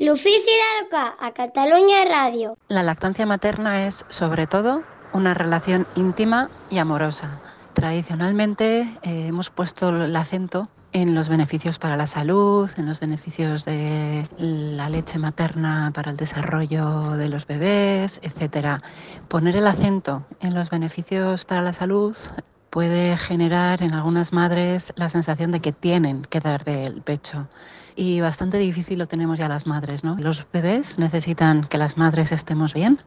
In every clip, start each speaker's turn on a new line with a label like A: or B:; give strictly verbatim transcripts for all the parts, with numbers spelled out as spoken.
A: L'ofici d'educar a Catalunya Ràdio.
B: La lactancia materna es, sobre todo, una relación íntima y amorosa. Tradicionalmente eh, hemos puesto el acento en los beneficios para la salud, en los beneficios de la leche materna para el desarrollo de los bebés, etcétera. Poner el acento en los beneficios para la salud puede generar en algunas madres la sensación de que tienen que dar del pecho. Y bastante difícil lo tenemos ya las madres, ¿no? Los bebés necesitan que las madres estemos bien.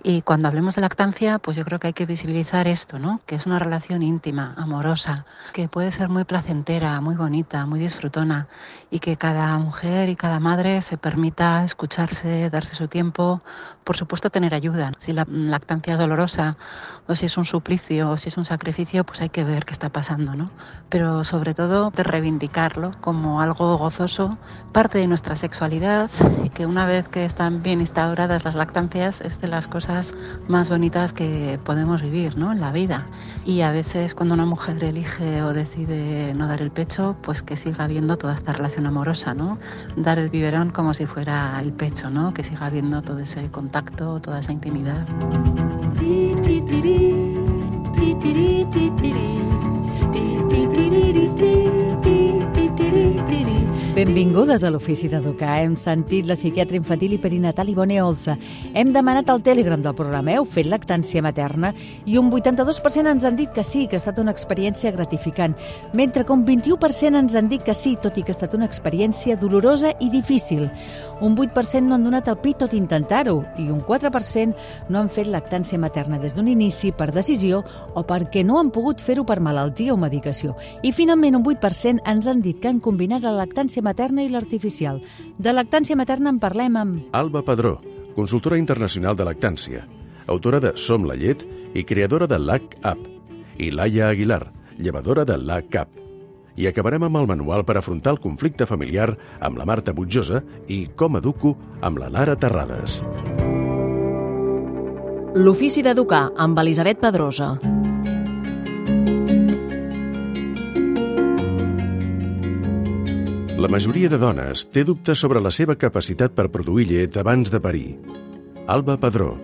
B: Y cuando hablemos de lactancia, pues yo creo que hay que visibilizar esto, ¿no? Que es una relación íntima, amorosa, que puede ser muy placentera, muy bonita, muy disfrutona. Y que cada mujer y cada madre se permita escucharse, darse su tiempo. Por supuesto, tener ayuda. Si la lactancia es dolorosa, o si es un suplicio, o si es un sacrificio, pues hay que ver qué está pasando, ¿no? Pero sobre todo, de reivindicarlo como algo gozoso, parte de nuestra sexualidad, y que una vez que están bien instauradas las lactancias es de las cosas más bonitas que podemos vivir, ¿no? En la vida. Y a veces cuando una mujer elige o decide no dar el pecho, pues que siga habiendo toda esta relación amorosa, ¿no? Dar el biberón como si fuera el pecho, ¿no? Que siga habiendo todo ese contacto, toda esa intimidad.
C: Benvingudes a l'Ofici d'Educar. Hem sentit la psiquiatra infantil i perinatal Ivone Olza. Hem demanat al Telegram del programa Heu fet lactància materna i un vuitanta-dos per cent ens han dit que sí, que ha estat una experiència gratificant, mentre que un vint-i-u per cent ens han dit que sí, tot i que ha estat una experiència dolorosa i difícil. Un vuit per cent no han donat el pit tot intentar-ho i un quatre per cent no han fet lactància materna des d'un inici per decisió o perquè no han pogut fer-ho per malaltia o medicació. I finalment un vuit per cent ens han dit que han combinat la lactància materna i l'artificial. De lactància materna en parlem amb
D: Alba Padró, consultora internacional de lactància, autora de Som la llet i creadora de LactApp, i Laia Aguilar, llevadora de LacCap. I acabarem amb el manual per afrontar el conflicte familiar amb la Marta Butjosa i Com educo amb la Lara Terrades.
E: L'Ofici d'Educar amb Elisabet Pedrosa.
D: La majoria de dones té dubtes sobre la seva capacitat per produir llet abans de parir. Alba Padró.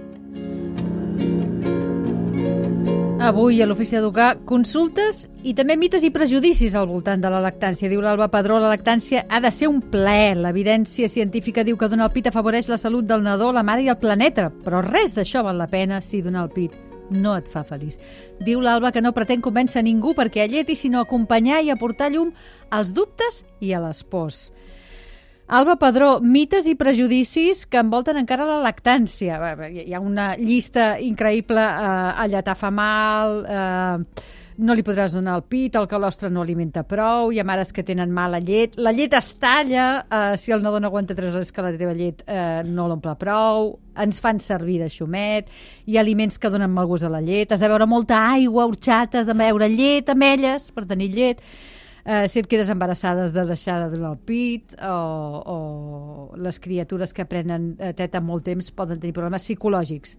C: Avui a l'Ofici d'Educar consultes i també mites i prejudicis al voltant de la lactància. Diu l'Alba Padró, la lactància ha de ser un plaer. L'evidència científica diu que donar el pit afavoreix la salut del nadó, la mare i el planeta, però res d'això val la pena si donar el pit no et fa feliç. Diu l'Alba que no pretén convèncer ningú perquè alleti, sinó acompanyar i aportar llum als dubtes i a les pors. Alba Padró, mites i prejudicis que envolten encara la lactància. Hi ha una llista increïble, eh, alletar fa mal, eh, no li podràs donar el pit, el calostre no alimenta prou, hi ha mares que tenen mala llet, la llet es talla, eh, si el nadó no aguanta tres hores que la teva llet eh, no l'omple prou, ens fan servir de xumet, hi ha aliments que donen mal gust a la llet, has de beure molta aigua, horxata, has de beure llet, ametlles, per tenir llet. Uh, si et quedes embarassada has de deixar de donar el pit, o, o les criatures que prenen uh, teta molt temps poden tenir problemes psicològics.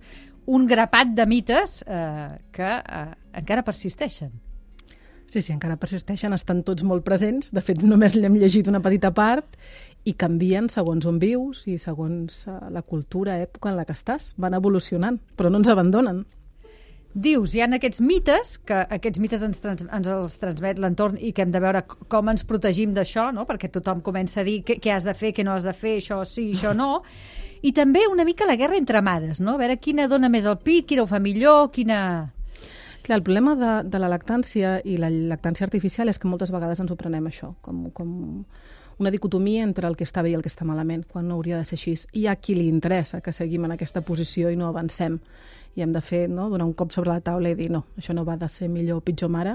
C: Un grapat de mites uh, que uh, encara persisteixen.
F: Sí, sí, encara persisteixen, estan tots molt presents. De fet, només l'hem llegit una petita part i canvien segons on vius i segons uh, la cultura, època en la que estàs. Van evolucionant, però no ens abandonen.
C: Dius, hi ha aquests mites, que aquests mites ens, trans, ens els transmet l'entorn i que hem de veure com ens protegim d'això, no? Perquè tothom comença a dir què, què has de fer, què no has de fer, això sí, això no. I també una mica la guerra entre mares, no? A veure quina dona més el pit, quina ho fa millor, quina...
F: Clar, el problema de, de la lactància i la lactància artificial és que moltes vegades ens ho prenem això, com, com una dicotomia entre el que està bé i el que està malament, quan no hauria de ser així. Hi ha qui li interessa que seguim en aquesta posició i no avancem. I hem de fer, no?, donar un cop sobre la taula i dir no, això no va de ser millor o pitjor mare,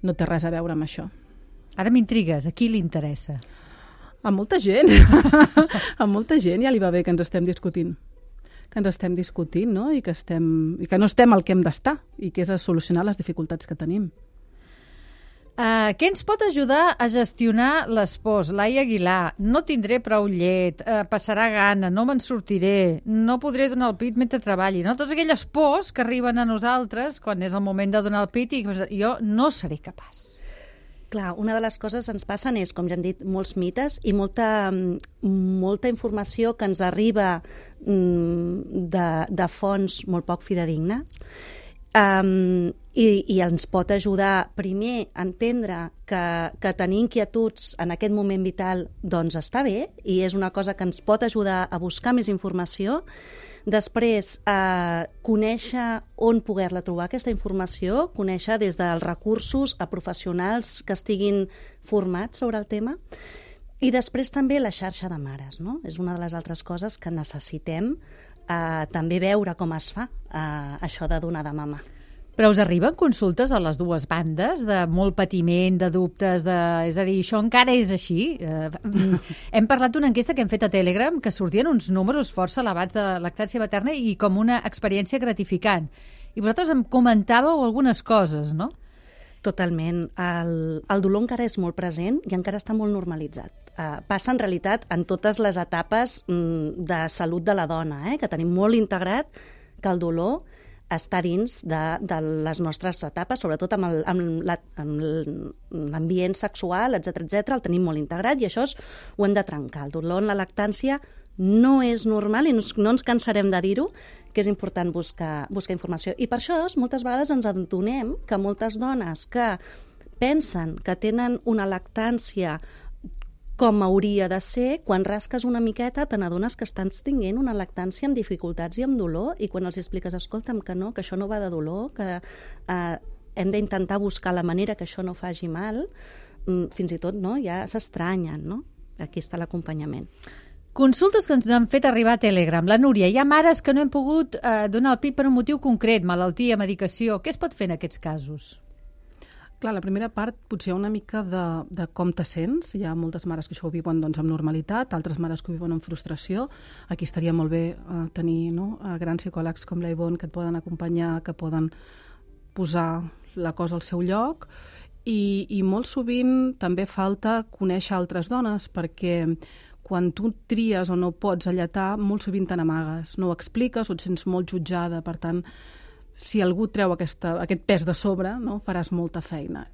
F: no té res a veure amb això.
C: Ara m'intrigues, a qui li interessa?
F: A molta gent. A molta gent ja li va bé que ens estem discutint. Que ens estem discutint, no?, I que, estem, i que no estem al que hem d'estar, i que és a solucionar les dificultats que tenim.
C: Uh, què ens pot ajudar a gestionar les pors? Laia Aguilar, no tindré prou llet, uh, passarà gana, no me'n sortiré, no podré donar el pit mentre treballi. No? Totes aquelles pors que arriben a nosaltres quan és el moment de donar el pit i jo no seré capaç.
G: Clar, una de les coses que ens passen és, com ja hem dit, molts mites i molta, molta informació que ens arriba de, de fonts molt poc fidedignes. Um, i, i ens pot ajudar primer a entendre que, que tenir inquietuds en aquest moment vital doncs està bé i és una cosa que ens pot ajudar a buscar més informació. Després, eh, conèixer on poder-la trobar, aquesta informació, conèixer des dels recursos a professionals que estiguin formats sobre el tema. I després també la xarxa de mares, no? És una de les altres coses que necessitem eh, també veure com es fa eh, això de donar de mama.
C: Però us arriben consultes a les dues bandes de molt patiment, de dubtes, de... és a dir, això encara és així? Eh, hem parlat d'una enquesta que hem fet a Telegram que sortien uns números força elevats de lactància materna i com una experiència gratificant. I vosaltres em comentàveu algunes coses, no?
G: Totalment. El, el dolor encara és molt present i encara està molt normalitzat. Uh, passa en realitat en totes les etapes mm, de salut de la dona, eh? Que tenim molt integrat que el dolor està dins de, de les nostres etapes, sobretot amb, el, amb, la, amb l'ambient sexual, etcètera, etcètera, el tenim molt integrat i això és, ho hem de trencar. El dolor en la lactància no és normal i no, no ens cansarem de dir-ho, que és important buscar, buscar informació. I per això moltes vegades ens adonem que moltes dones que pensen que tenen una lactància com hauria de ser, quan rasques una miqueta te n'adones que estan tinguent una lactància amb dificultats i amb dolor, i quan els expliques, escolta'm, que no, que això no va de dolor, que eh, hem d'intentar buscar la manera que això no faci mal, fins i tot no, ja s'estranyen, no? Aquí està l'acompanyament.
C: Consultes que ens han fet arribar a Telegram. La Núria, hi ha mares que no hem pogut eh, donar el pit per un motiu concret, malaltia, medicació. Què es pot fer en aquests casos?
F: Clar, la primera part potser una mica de, de com te sents. Hi ha moltes mares que això ho viuen doncs, amb normalitat, altres mares que ho viuen amb frustració. Aquí estaria molt bé eh, tenir no, grans psicòlegs com la Ivonne que et poden acompanyar, que poden posar la cosa al seu lloc. I, i molt sovint també falta conèixer altres dones, perquè quan tu tries o no pots alletar, molt sovint te n'amagues. No ho expliques o et sents molt jutjada, per tant, si algú treu aquesta, aquest pes de sobre, no, faràs molta feina.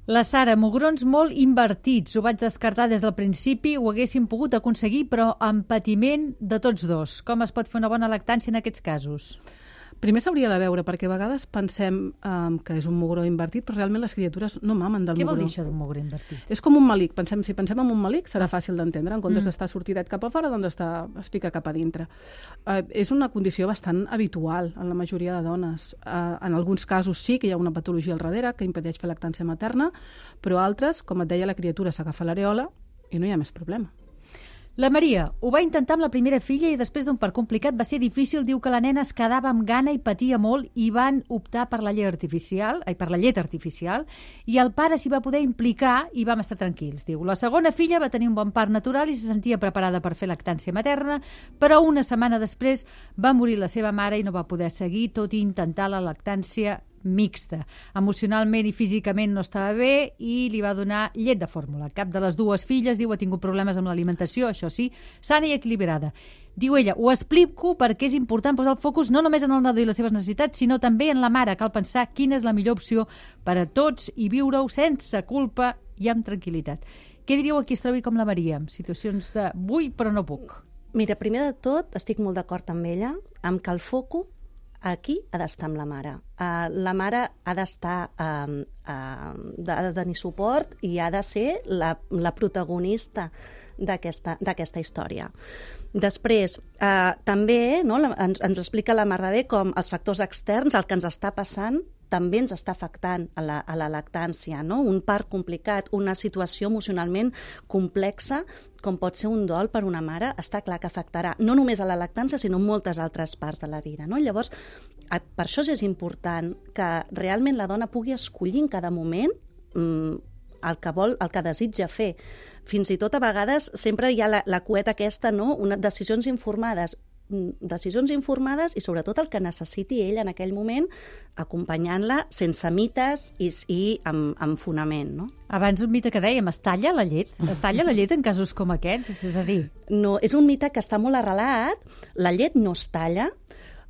C: La Sara, mugrons molt invertits. Ho vaig descartar des del principi, ho haguéssim pogut aconseguir, però amb patiment de tots dos. Com es pot fer una bona lactància en aquests casos?
F: Primer s'hauria de veure, perquè a vegades pensem um, que és un mugró invertit, però realment les criatures no mamen del
C: Què
F: mugró.
C: Què vol dir això d'un mugró invertit?
F: És com un malic. Pensem, si pensem en un malic serà fàcil d'entendre. En comptes
C: Mm.
F: d'estar sortidet cap a fora, doncs està, es fica cap a dintre. Uh, és una condició bastant habitual en la majoria de dones. Uh, en alguns casos sí que hi ha una patologia al darrere que impedeix fer lactància materna, però altres, com et deia, la criatura s'agafa l'areola i no hi ha més problema.
C: La Maria ho va intentar amb la primera filla i després d'un part complicat va ser difícil. Diu que la nena es quedava amb gana i patia molt i van optar per la llet artificial, ai, per la llet artificial, i el pare s'hi va poder implicar i vam estar tranquils. Diu, la segona filla va tenir un bon part natural i se sentia preparada per fer lactància materna, però una setmana després va morir la seva mare i no va poder seguir, tot i intentar la lactància mixta. Emocionalment i físicament no estava bé i li va donar llet de fórmula. Cap de les dues filles, diu, ha tingut problemes amb l'alimentació, això sí, sana i equilibrada. Diu ella, ho explico perquè és important posar el focus no només en el nadó i les seves necessitats, sinó també en la mare. Cal pensar quina és la millor opció per a tots i viure-ho sense culpa i amb tranquil·litat. Què diríeu a qui es trobi com la Maria, en situacions de vull però no puc?
G: Mira, primer de tot, estic molt d'acord amb ella, amb que el focus aquí ha d'estar amb la mare. Uh, la mare ha d'estar, uh, uh, de, de tenir suport i ha de ser la, la protagonista d'aquesta d'aquesta història. Després, uh, també no, la, ens, ens explica la Marta bé com els factors externs, el que ens està passant, també ens està afectant a la, a la lactància, no? Un part complicat, una situació emocionalment complexa, com pot ser un dol per una mare, està clar que afectarà no només a la lactància, sinó moltes altres parts de la vida, no? Llavors, per això és important que realment la dona pugui escollir en cada moment mmm, el que vol, el que desitja fer. Fins i tot a vegades sempre hi ha la, la cueta aquesta, no? Una, decisions informades, decisions informades i sobretot el que necessiti ell en aquell moment, acompanyant-la sense mites i, i amb, amb fonament, no?
C: Abans un mite que dèiem, es talla la llet? Es talla la llet en casos com aquests? És a dir...
G: No, és un mite que està molt arrelat, la llet no es talla,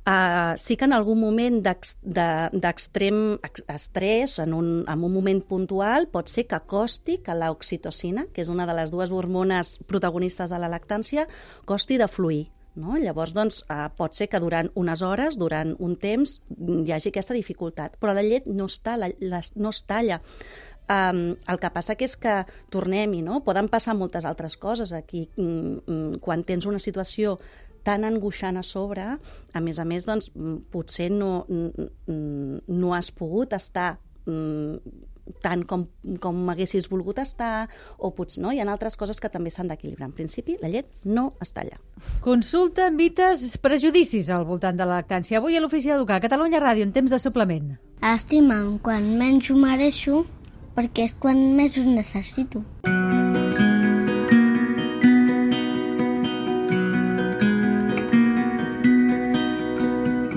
G: Uh, sí que en algun moment d'extrem estrès, en un, en un moment puntual, pot ser que costi que l'oxitocina, que és una de les dues hormones protagonistes de la lactància, costi de fluir. No? Llavors, doncs, eh, pot ser que durant unes hores, durant un temps, hi hagi aquesta dificultat. Però la llet no es talla. No es talla. Um, el que passa que és que, tornem-hi, no? Poden passar moltes altres coses aquí. Mm, quan tens una situació tan angoixant a sobre, a més a més, doncs, potser no, no has pogut estar tant com, com haguessis volgut estar, o potser no, hi ha altres coses que també s'han d'equilibrar. En principi, la llet no es talla.
C: Consulta, mites, prejudicis al voltant de la lactància. Avui a l'Ofici d'Educar, Catalunya Ràdio, en temps de suplement.
A: Estima'm quan menys ho mereixo, perquè és quan més ho necessito.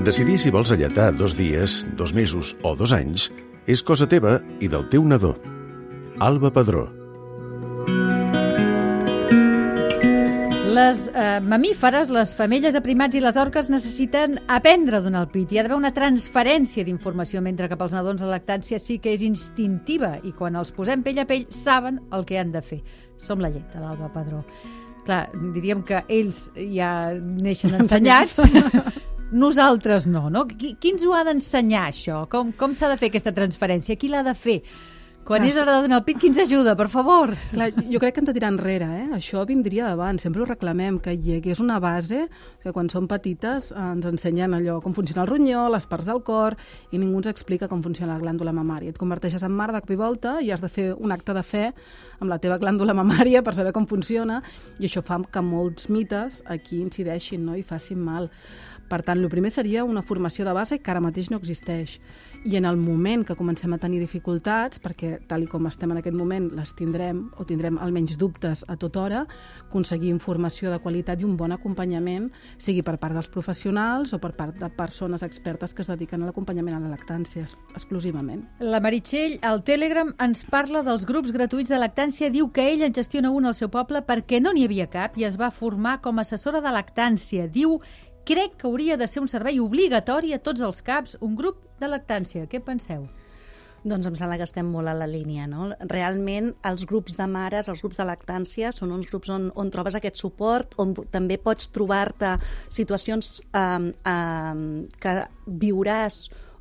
D: Decidir si vols alletar dos dies, dos mesos o dos anys és cosa teva i del teu nadó. Alba Padró.
C: Les eh, mamíferes, les femelles de primats i les orques necessiten aprendre a donar el pit. Hi ha d'haver una transferència d'informació, mentre que pels nadons la lactància sí que és instintiva i quan els posem pell a pell saben el que han de fer. Som la llet de l'Alba Padró. Clar, diríem que ells ja neixen ensenyats. Nosaltres no, no? Qui, qui ens ho ha d'ensenyar, això? Com, com s'ha de fer aquesta transferència? Qui l'ha de fer? Quan Clar, és hora de donar el pit, qui ens ajuda, per favor?
F: Clar, jo crec que hem de tirar enrere, eh? Això vindria davant, sempre ho reclamem, que hi hagués una base, que quan som petites ens ensenyen allò, com funciona el ronyó, les parts del cor, i ningú ens explica com funciona la glàndula mamària. Et converteixes en mare de cop i volta i has de fer un acte de fe amb la teva glàndula mamària per saber com funciona, i això fa que molts mites aquí incideixin, no? I facin mal. Per tant, el primer seria una formació de base que ara mateix no existeix. I en el moment que comencem a tenir dificultats, perquè tal i com estem en aquest moment les tindrem, o tindrem almenys dubtes a tota hora, aconseguir informació de qualitat i un bon acompanyament, sigui per part dels professionals o per part de persones expertes que es dediquen a l'acompanyament a la lactància exclusivament.
C: La Meritxell, al Telegram, ens parla dels grups gratuïts de lactància. Diu que ella en gestiona un al seu poble perquè no n'hi havia cap i es va formar com a assessora de lactància. Diu: crec que hauria de ser un servei obligatori a tots els caps, un grup de lactància. Què penseu?
G: Doncs em sembla que estem molt a la línia, no? Realment, els grups de mares, els grups de lactància, són uns grups on, on trobes aquest suport, on també pots trobar-te situacions eh, eh, que viuràs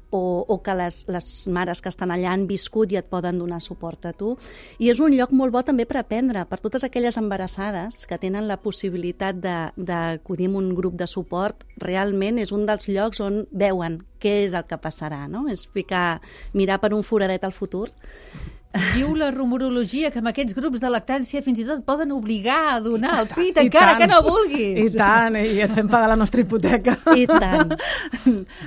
G: o, o que les, les mares que estan allà han viscut i et poden donar suport a tu. I és un lloc molt bo també per aprendre, per totes aquelles embarassades que tenen la possibilitat d'acudir a un grup de suport. Realment és un dels llocs on veuen què és el que passarà, no? És ficar, mirar per un foradet al futur.
C: Diu la rumorologia que amb aquests grups de lactància fins i tot poden obligar a donar el pit encara que no vulguis.
F: I tant, i et fem pagar la nostra hipoteca.
G: I tant.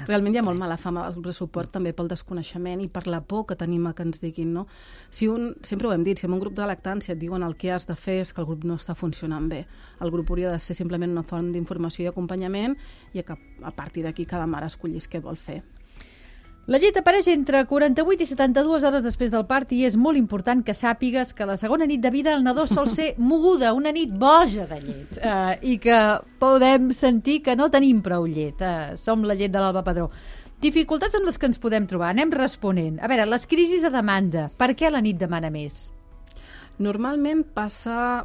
F: Realment hi ha molt mala fama dels grups de suport també pel desconeixement i per la por que tenim a que ens diguin, no? Si un, sempre ho hem dit, si en un grup de lactància et diuen el que has de fer és que el grup no està funcionant bé. El grup hauria de ser simplement una font d'informació i acompanyament i que a partir d'aquí cada mare escollís què vol fer.
C: La llet apareix entre quaranta-vuit i setanta-dues hores després del part i és molt important que sàpigues que la segona nit de vida el nadó sol ser moguda, una nit boja de llet, eh, i que podem sentir que no tenim prou llet. Eh, som la llet de l'Alba Padró. Dificultats amb les que ens podem trobar, anem responent. A veure, les crisis de demanda, per què la nit demana més?
F: Normalment passa,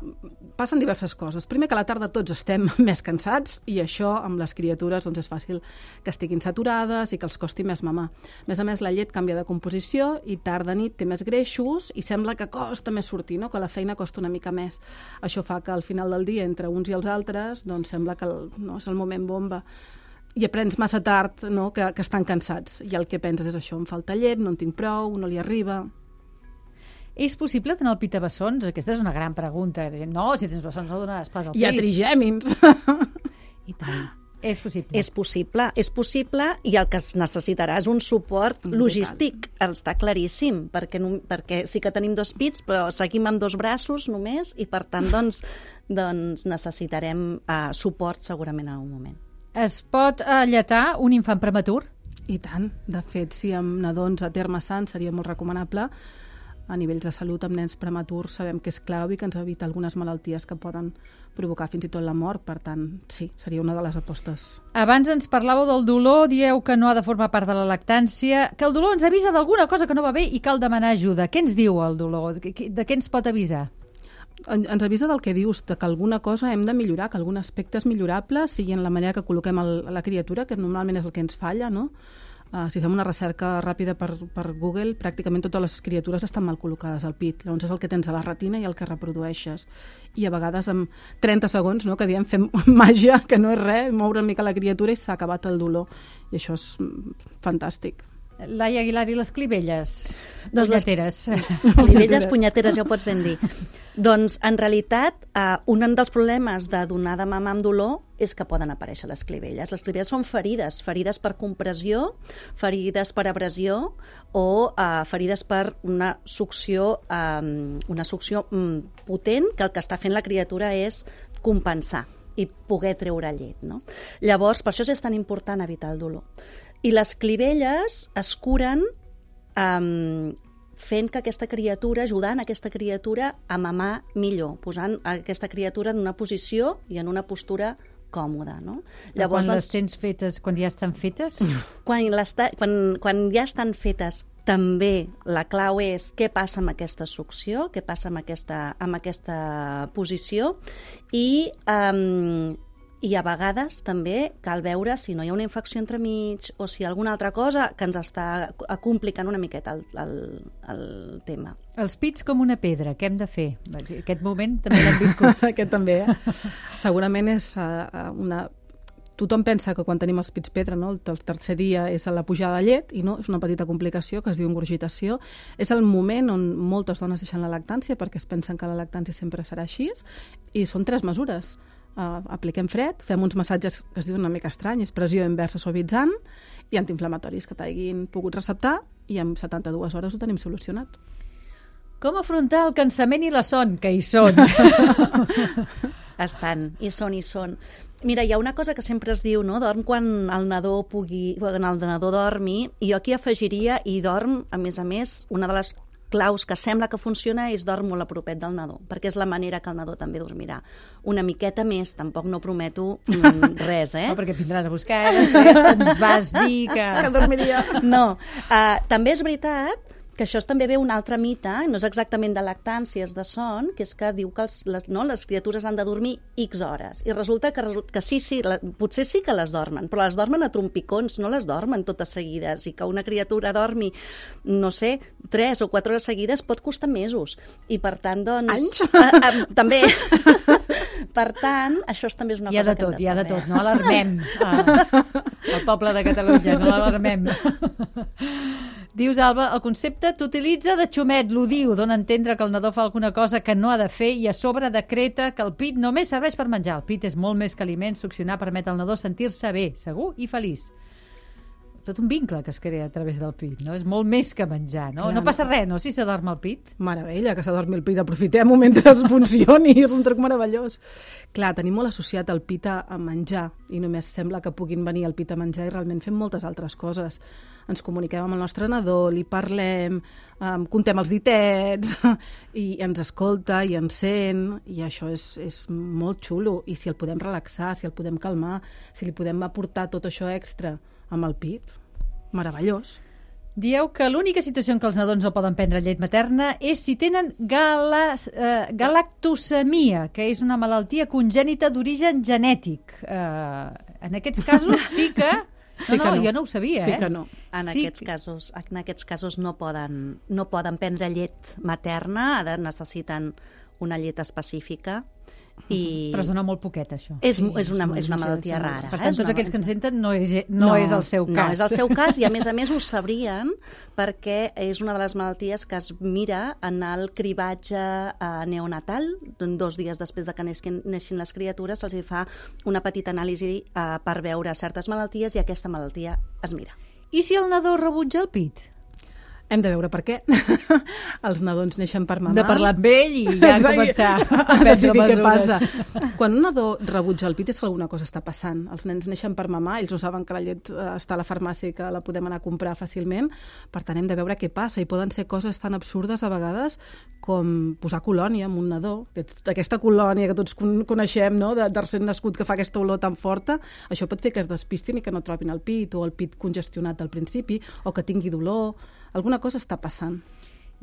F: passen diverses coses. Primer, que a la tarda tots estem més cansats i això amb les criatures doncs, és fàcil que estiguin saturades i que els costi més mamar. A més a més, la llet canvia de composició i tarda-nit té més greixos i sembla que costa més sortir, no? Que la feina costa una mica més. Això fa que al final del dia, entre uns i els altres, doncs sembla que el, no, és el moment bomba. I aprens massa tard, no? que, que estan cansats. I el que penses és això, em falta llet, no en tinc prou, no li arriba.
C: És possible donar el pit a bessons? Aquesta és una gran pregunta. No, si tens bessons no donaràs pas el pit.
F: Hi ha trigèmins.
C: I tant. És possible.
G: És possible, és possible i el que es necessitarà és un suport logístic. Està claríssim, perquè, no, perquè sí que tenim dos pits, però seguim amb dos braços només i per tant doncs, doncs necessitarem uh, suport segurament en un moment.
C: Es pot alletar un infant prematur?
F: I tant. De fet, si amb nadons a terme sant seria molt recomanable. a nivells de salut amb nens prematurs sabem que és clau i que ens evita algunes malalties que poden provocar fins i tot la mort. Per tant, sí, seria una de les apostes.
C: Abans ens parlàveu del dolor, dieu que no ha de formar part de la lactància, que el dolor ens avisa d'alguna cosa que no va bé i cal demanar ajuda. Què ens diu el dolor? De què ens pot avisar?
F: Ens avisa del que dius, de que alguna cosa hem de millorar, que algun aspecte és millorable, sigui en la manera que col·loquem el, la criatura, que normalment és el que ens falla, no? Uh, si fem una recerca ràpida per, per Google, pràcticament totes les criatures estan mal col·locades al pit. Llavors és el que tens a la retina i el que reprodueixes. I a vegades amb trenta segons, no, que diem fem màgia, que no és res, moure una mica la criatura i s'ha acabat el dolor. I això és fantàstic.
C: Laia Aguilar, i les clivelles? Doncs punyeteres.
G: Les clivelles, punyeteres, ja ho pots ben dir. Doncs, en realitat, eh, un dels problemes de donar de mamar amb dolor és que poden aparèixer les clivelles. Les clivelles són ferides, ferides per compressió, ferides per abrasió o eh, ferides per una succió, eh, una succió mm, potent que el que està fent la criatura és compensar i poder treure llet, no? Llavors, per això és tan important evitar el dolor. I les clivelles es curen um, fent que aquesta criatura, ajudant aquesta criatura a mamar millor, posant aquesta criatura en una posició i en una postura còmoda, no?
C: Llavors, quan les tens fetes, quan ja estan fetes?
G: Quan, quan, quan ja estan fetes, també la clau és què passa amb aquesta succió, què passa amb aquesta, amb aquesta posició i... Um, I a vegades també cal veure si no hi ha una infecció entremig o si hi ha alguna altra cosa que ens està complicant una miqueta el, el, el tema.
C: Els pits com una pedra, què hem de fer? Aquest moment també l'hem viscut.
F: Aquest també, eh? Segurament és uh, una... Tothom pensa que quan tenim els pits pedra, no? El tercer dia és la pujada de llet i no, és una petita complicació que es diu engorgitació. És el moment on moltes dones deixen la lactància perquè es pensen que la lactància sempre serà així i són tres mesures. Uh, apliquem fred, fem uns massatges que es diuen una mica estranyes, pressió inversa suavitzant i antiinflamatoris que t'hagin pogut receptar i en setanta-dues hores ho tenim solucionat.
C: Com afrontar el cansament i la son? Que hi són.
G: Estan, hi són, hi són. Mira, hi ha una cosa que sempre es diu, no? Dorm quan el nadó pugui, quan el nadó dormi, i jo aquí afegiria i dorm, a més a més, una de les claus que sembla que funciona és dorm molt a propet del nadó, perquè és la manera que el nadó també dormirà. Una miqueta més, tampoc no prometo mm, res, eh?
C: No, perquè vindran a buscar, després ens vas dir que...
F: que dormiria.
G: No, uh, també és veritat que això també ve un altre mite, no és exactament de lactància, és de son, que és que diu que els, les, no, les criatures han de dormir X hores. I resulta que, que sí, sí, la, potser sí que les dormen, però les dormen a trompicons, no les dormen totes seguides. I que una criatura dormi, no sé, tres o quatre hores seguides pot costar mesos. I per tant, doncs...
F: Anys?
G: A, a, també. Per tant, això també és una
C: hi
G: cosa
C: tot,
G: que hem de saber. Hi
C: ha de tot, no alarmem ah, el poble de Catalunya, no l'alarmem. Dius, Alba, el concepte t'utilitza de xumet, l'odiu, dona a entendre que el nadó fa alguna cosa que no ha de fer i a sobre decreta que el pit només serveix per menjar. El pit és molt més que aliment, succionar permet al nadó sentir-se bé, segur i feliç. Tot un vincle que es crea a través del pit, no? És molt més que menjar, no? Clar, no passa res, no?, si s'adorm el pit.
F: Meravella, que s'adormi el pit, aprofitem-ho mentre es funcioni, és un truc meravellós. Clar, tenim molt associat el pit a menjar i només sembla que puguin venir el pit a menjar i realment fem moltes altres coses. Ens comuniquem amb el nostre nadó, li parlem, um, contem els ditets i ens escolta i ens sent i això és, és molt xulo. I si el podem relaxar, si el podem calmar, si li podem aportar tot això extra amb el pit, meravellós.
C: Dieu que l'única situació en què els nadons no poden prendre llet materna és si tenen galas, eh, galactosemia, que és una malaltia congènita d'origen genètic. Eh, en aquests casos sí que... No,
F: sí que
C: no,
F: no,
C: jo no ho sabia,
F: sí
C: eh?
F: Que no.
G: En, sí aquests que... casos, en aquests casos no poden, no poden prendre llet materna, necessiten una llet específica. I...
C: Però es dona molt poquet, això.
G: És, sí, és, una, és una malaltia rara.
C: Per tant,
G: eh?
C: tots aquells que ens senten no és, no, no és el seu cas.
G: No és el seu cas i, a més a més, ho sabrien perquè és una de les malalties que es mira en el cribatge eh, neonatal. Dos dies després de que neixin, neixin les criatures se'ls fa una petita anàlisi eh, per veure certes malalties i aquesta malaltia es mira.
C: I si el nadó rebutja el pit?
F: Hem de veure per què. Els nadons neixen per mamar.
C: De parlar amb ell i ja començar a prendre mesures. Què
F: passa. Quan un nadó rebutja el pit és que alguna cosa està passant. Els nens neixen per mamar, ells no saben que la llet està a la farmàcia i que la podem anar a comprar fàcilment, per tant hem de veure què passa, i poden ser coses tan absurdes a vegades com posar colònia en un nadó, aquesta colònia que tots coneixem, no? de, de recent nascut que fa aquesta olor tan forta, això pot fer que es despistin i que no trobin el pit, o el pit congestionat al principi, o que tingui dolor. Alguna cosa està passant.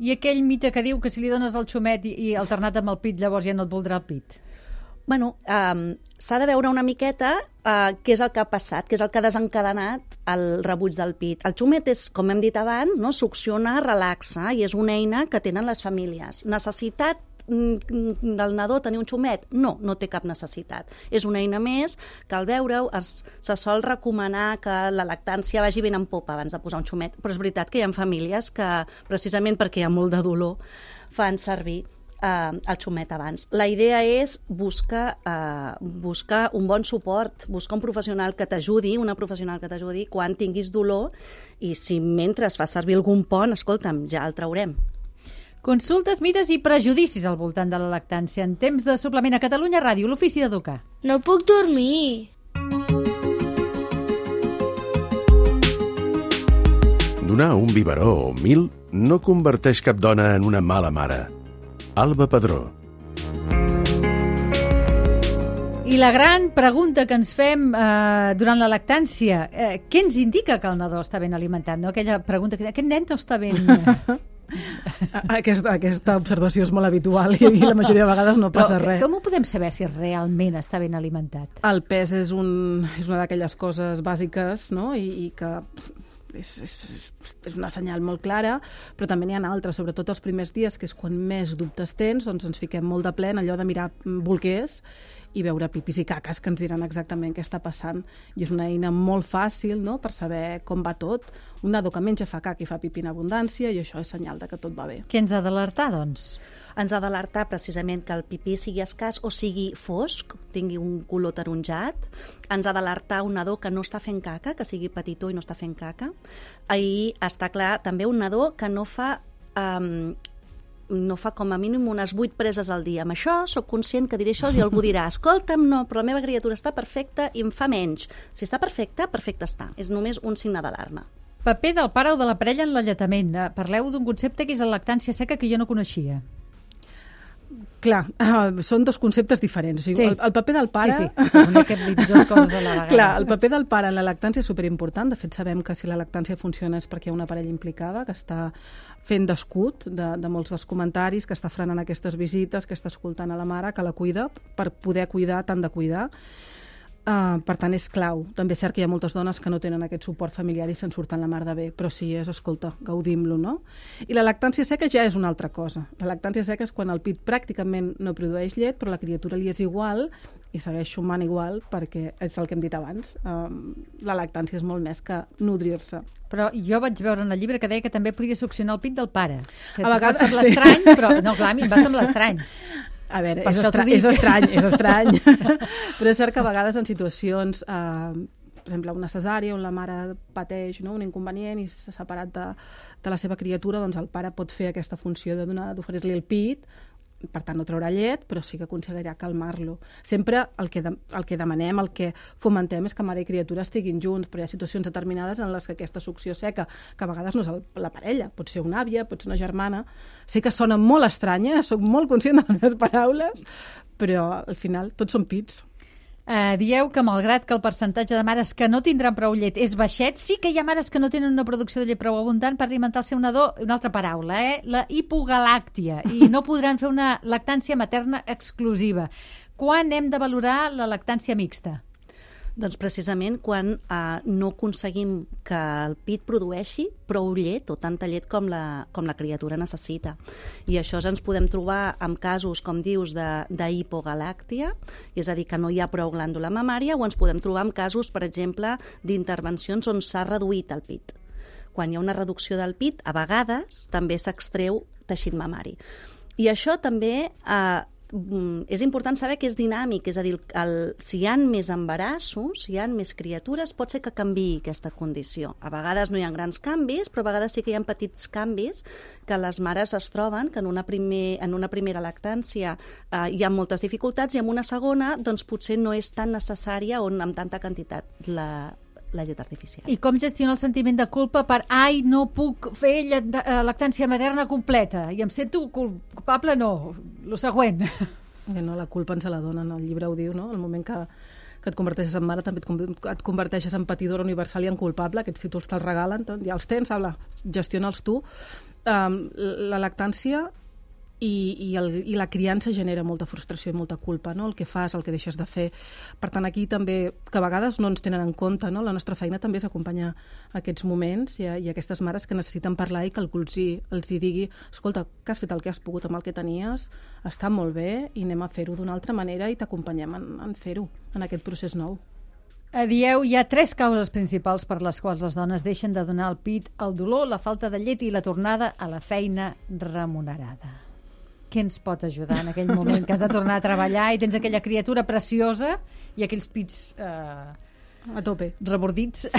C: I aquell mite que diu que si li dones el xumet i, i alternat amb el pit, llavors ja no et voldrà el pit?
G: Bueno, um, s'ha de veure una miqueta uh, què és el que ha passat, què és el que ha desencadenat el rebuig del pit. El xumet és, com hem dit abans, no? Succiona, relaxa, i és una eina que tenen les famílies. Necessitat del nadó tenir un xumet? No, no té cap necessitat. És una eina més que al veure-ho es, se sol recomanar que la lactància vagi ben en popa abans de posar un xumet, però és veritat que hi ha famílies que, precisament perquè hi ha molt de dolor, fan servir Uh, el xumet abans. La idea és buscar, uh, buscar un bon suport, buscar un professional que t'ajudi, una professional que t'ajudi quan tinguis dolor, i si mentre es fa servir algun pont, escolta'm, ja el traurem.
C: Consultes, mites i prejudicis al voltant de la lactància en temps de suplement a Catalunya Ràdio, l'Ofici d'Educar.
A: No puc dormir.
D: Donar un biberó o mil no converteix cap dona en una mala mare. Alba Padró.
C: I la gran pregunta que ens fem eh, durant la lactància, eh, què ens indica que el nadó està ben alimentat? No? Aquella pregunta que aquest nen no està ben...
F: Aquesta, aquesta observació és molt habitual i, i la majoria de vegades no passa
C: Però,
F: res.
C: Com ho podem saber si realment està ben alimentat?
F: El pes és, un, és una d'aquelles coses bàsiques, no? I, i que... És, és, és una senyal molt clara, però també n'hi ha altres, sobretot els primers dies, que és quan més dubtes tens, doncs ens fiquem molt de ple en allò de mirar bolquers i veure pipis i caques que ens diran exactament què està passant. I és una eina molt fàcil, no?, per saber com va tot. Un nadó que menja fa caca i fa pipí en abundància, i això és senyal de que tot va bé.
C: Què ens ha d'alertar, doncs?
G: Ens ha d'alertar precisament que el pipí sigui escàs o sigui fosc, tingui un color taronjat. Ens ha d'alertar un nadó que no està fent caca, que sigui petitó i no està fent caca. I està clar també un nadó que no fa... Um, no fa com a mínim unes vuit preses al dia. Amb això soc conscient que diré això i algú dirà, escolta'm, no, però la meva criatura està perfecta i em fa menys. Si està perfecta, perfecta està. És només un signe d'alarma.
C: Paper del pare o de la parella en l'alletament. Parleu d'un concepte que és la lactància seca que jo no coneixia.
F: Clar, uh, són dos conceptes diferents. O sigui,
C: sí.
F: el, el paper del pare...
C: Sí, sí, una que dit dues coses a la vegada.
F: Clar, el paper del pare en la lactància és superimportant. De fet, sabem que si la lactància funciona és perquè hi ha una parella implicada que està fent d'escut de, de molts dels comentaris, que està frenant aquestes visites, que està escoltant a la mare, que la cuida, per poder cuidar, tant de cuidar. Uh, per tant, és clau. També és cert que hi ha moltes dones que no tenen aquest suport familiar i se'n surten la mar de bé, però sí és, escolta, gaudim-lo, no? I la lactància seca ja és una altra cosa. La lactància seca és quan el pit pràcticament no produeix llet, però la criatura li és igual i segueix sumant igual, perquè és el que hem dit abans. Um, la lactància és molt més que nodrir-se.
C: Però jo vaig veure en el llibre que deia que també podia succionar el pit del pare. Que
F: a vegades,
C: pot semblar
F: sí.
C: estrany, però no, clar, a mi em va semblar estrany.
F: A veure, és, estra és estrany, és estrany. Però és cert que a vegades en situacions, eh, per exemple, una cesària on la mare pateix, no?, un inconvenient i s'ha separat de, de la seva criatura, doncs el pare pot fer aquesta funció de donar, d'oferir-li el pit, per tant no traurà llet, però sí que aconseguirà calmar-lo. Sempre el que, de, el que demanem, el que fomentem és que mare i criatura estiguin junts, però hi ha situacions determinades en les que aquesta succió seca, que a vegades no és el, la parella, pot ser una àvia, pot ser una germana, sé que sona molt estranya, soc molt conscient de les meves paraules, però al final tots són pits.
C: Uh, dieu que malgrat que el percentatge de mares que no tindran prou llet és baixet, sí que hi ha mares que no tenen una producció de llet prou abundant per alimentar el seu nadó, una altra paraula, eh? La hipogalàctia, i no podran fer una lactància materna exclusiva. Quan hem de valorar la lactància mixta?
G: Doncs precisament quan eh, no aconseguim que el pit produeixi prou llet o tanta llet com la, com la criatura necessita. I això ens podem trobar amb casos, com dius, d'hipogalàctia, és a dir, que no hi ha prou glàndula mamària, o ens podem trobar amb casos, per exemple, d'intervencions on s'ha reduït el pit. Quan hi ha una reducció del pit, a vegades també s'extreu teixit mamari. I això també... Eh, és important saber que és dinàmic, és a dir, el, si hi ha més embarassos, si hi ha més criatures, pot ser que canviï aquesta condició. A vegades no hi ha grans canvis, però a vegades sí que hi ha petits canvis que les mares es troben, que en una, primer, en una primera lactància eh, hi ha moltes dificultats i en una segona doncs, potser no és tan necessària o amb tanta quantitat la la llet artificial.
C: I com gestiona el sentiment de culpa per ai, no puc fer llet, lactància materna completa i em sento culpable? No, el següent.
F: No, la culpa ens la donen, el llibre ho diu, no? El moment que, que et converteixes en mare també et, et converteixes en patidora universal i en culpable, aquests títols te'ls regalen, ja els tens, habla, gestiona'ls tu. Um, la lactància I, i, el, i la criança genera molta frustració i molta culpa, no? El que fas, el que deixes de fer. Per tant, aquí també, que a vegades no ens tenen en compte, no? La nostra feina també és acompanyar aquests moments i, i aquestes mares que necessiten parlar i que algú els hi, els hi digui escolta, que has fet el que has pogut amb el que tenies, està molt bé i anem a fer-ho d'una altra manera i t'acompanyem en, en fer-ho, en aquest procés nou.
C: Dieu, hi ha tres causes principals per les quals les dones deixen de donar el pit: el dolor, la falta de llet i la tornada a la feina remunerada. Què ens pot ajudar en aquell moment que has de tornar a treballar i tens aquella criatura preciosa i aquells pits eh,
F: a tope
C: rebordits?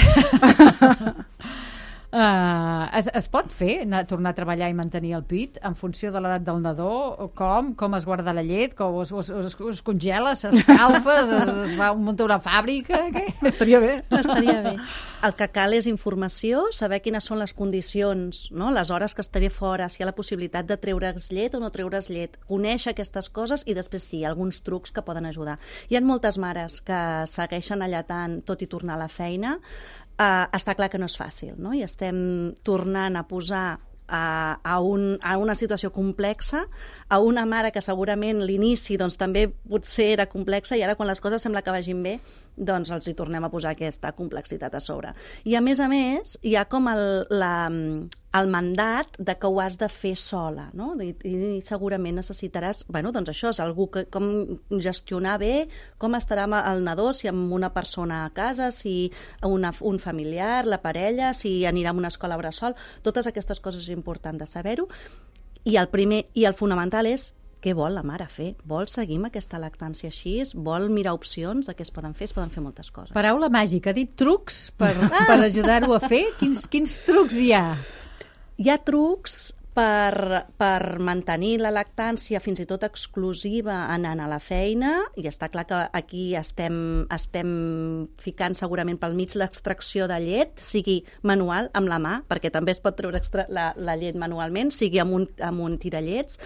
C: Uh, es, es pot fer anar, tornar a treballar i mantenir el pit en funció de l'edat del nadó? Com? Com es guarda la llet? Com es, es, es, es congela? S'escalfa? es, es va muntar una fàbrica? Què?
F: Estaria bé.
G: Estaria bé. El que cal és informació, saber quines són les condicions, no? Les hores que estaré fora, si hi ha la possibilitat de treure's llet o no treure's llet. Conèixer aquestes coses i després sí, alguns trucs que poden ajudar. Hi ha moltes mares que segueixen allatant tot i tornar a la feina. Uh, està clar que no és fàcil, no? I estem tornant a posar a, a, un, a una situació complexa, a una mare que segurament l'inici doncs, també potser era complexa i ara quan les coses sembla que vagin bé doncs els hi tornem a posar aquesta complexitat a sobre. I a més a més hi ha com el, la, el mandat de que ho has de fer sola, no? I, i segurament necessitaràs, bueno, doncs això és algú que com gestionar bé, com estarà el nadó, si amb una persona a casa, si una, un familiar, la parella, si anirà a una escola bressol, totes aquestes coses és important de saber-ho. I el primer i el fonamental és què vol la mare fer? Vol seguir amb aquesta lactància així? Vol mirar opcions de què es poden fer? Es poden fer moltes coses.
C: Paraula màgica, ha dit trucs per, per ajudar-ho a fer? Quins, quins trucs hi ha?
G: Hi ha trucs per, per mantenir la lactància fins i tot exclusiva anant a la feina, i està clar que aquí estem, estem ficant segurament pel mig l'extracció de llet, sigui manual, amb la mà, perquè també es pot treure extra, la, la llet manualment, sigui amb un, amb un tirallets,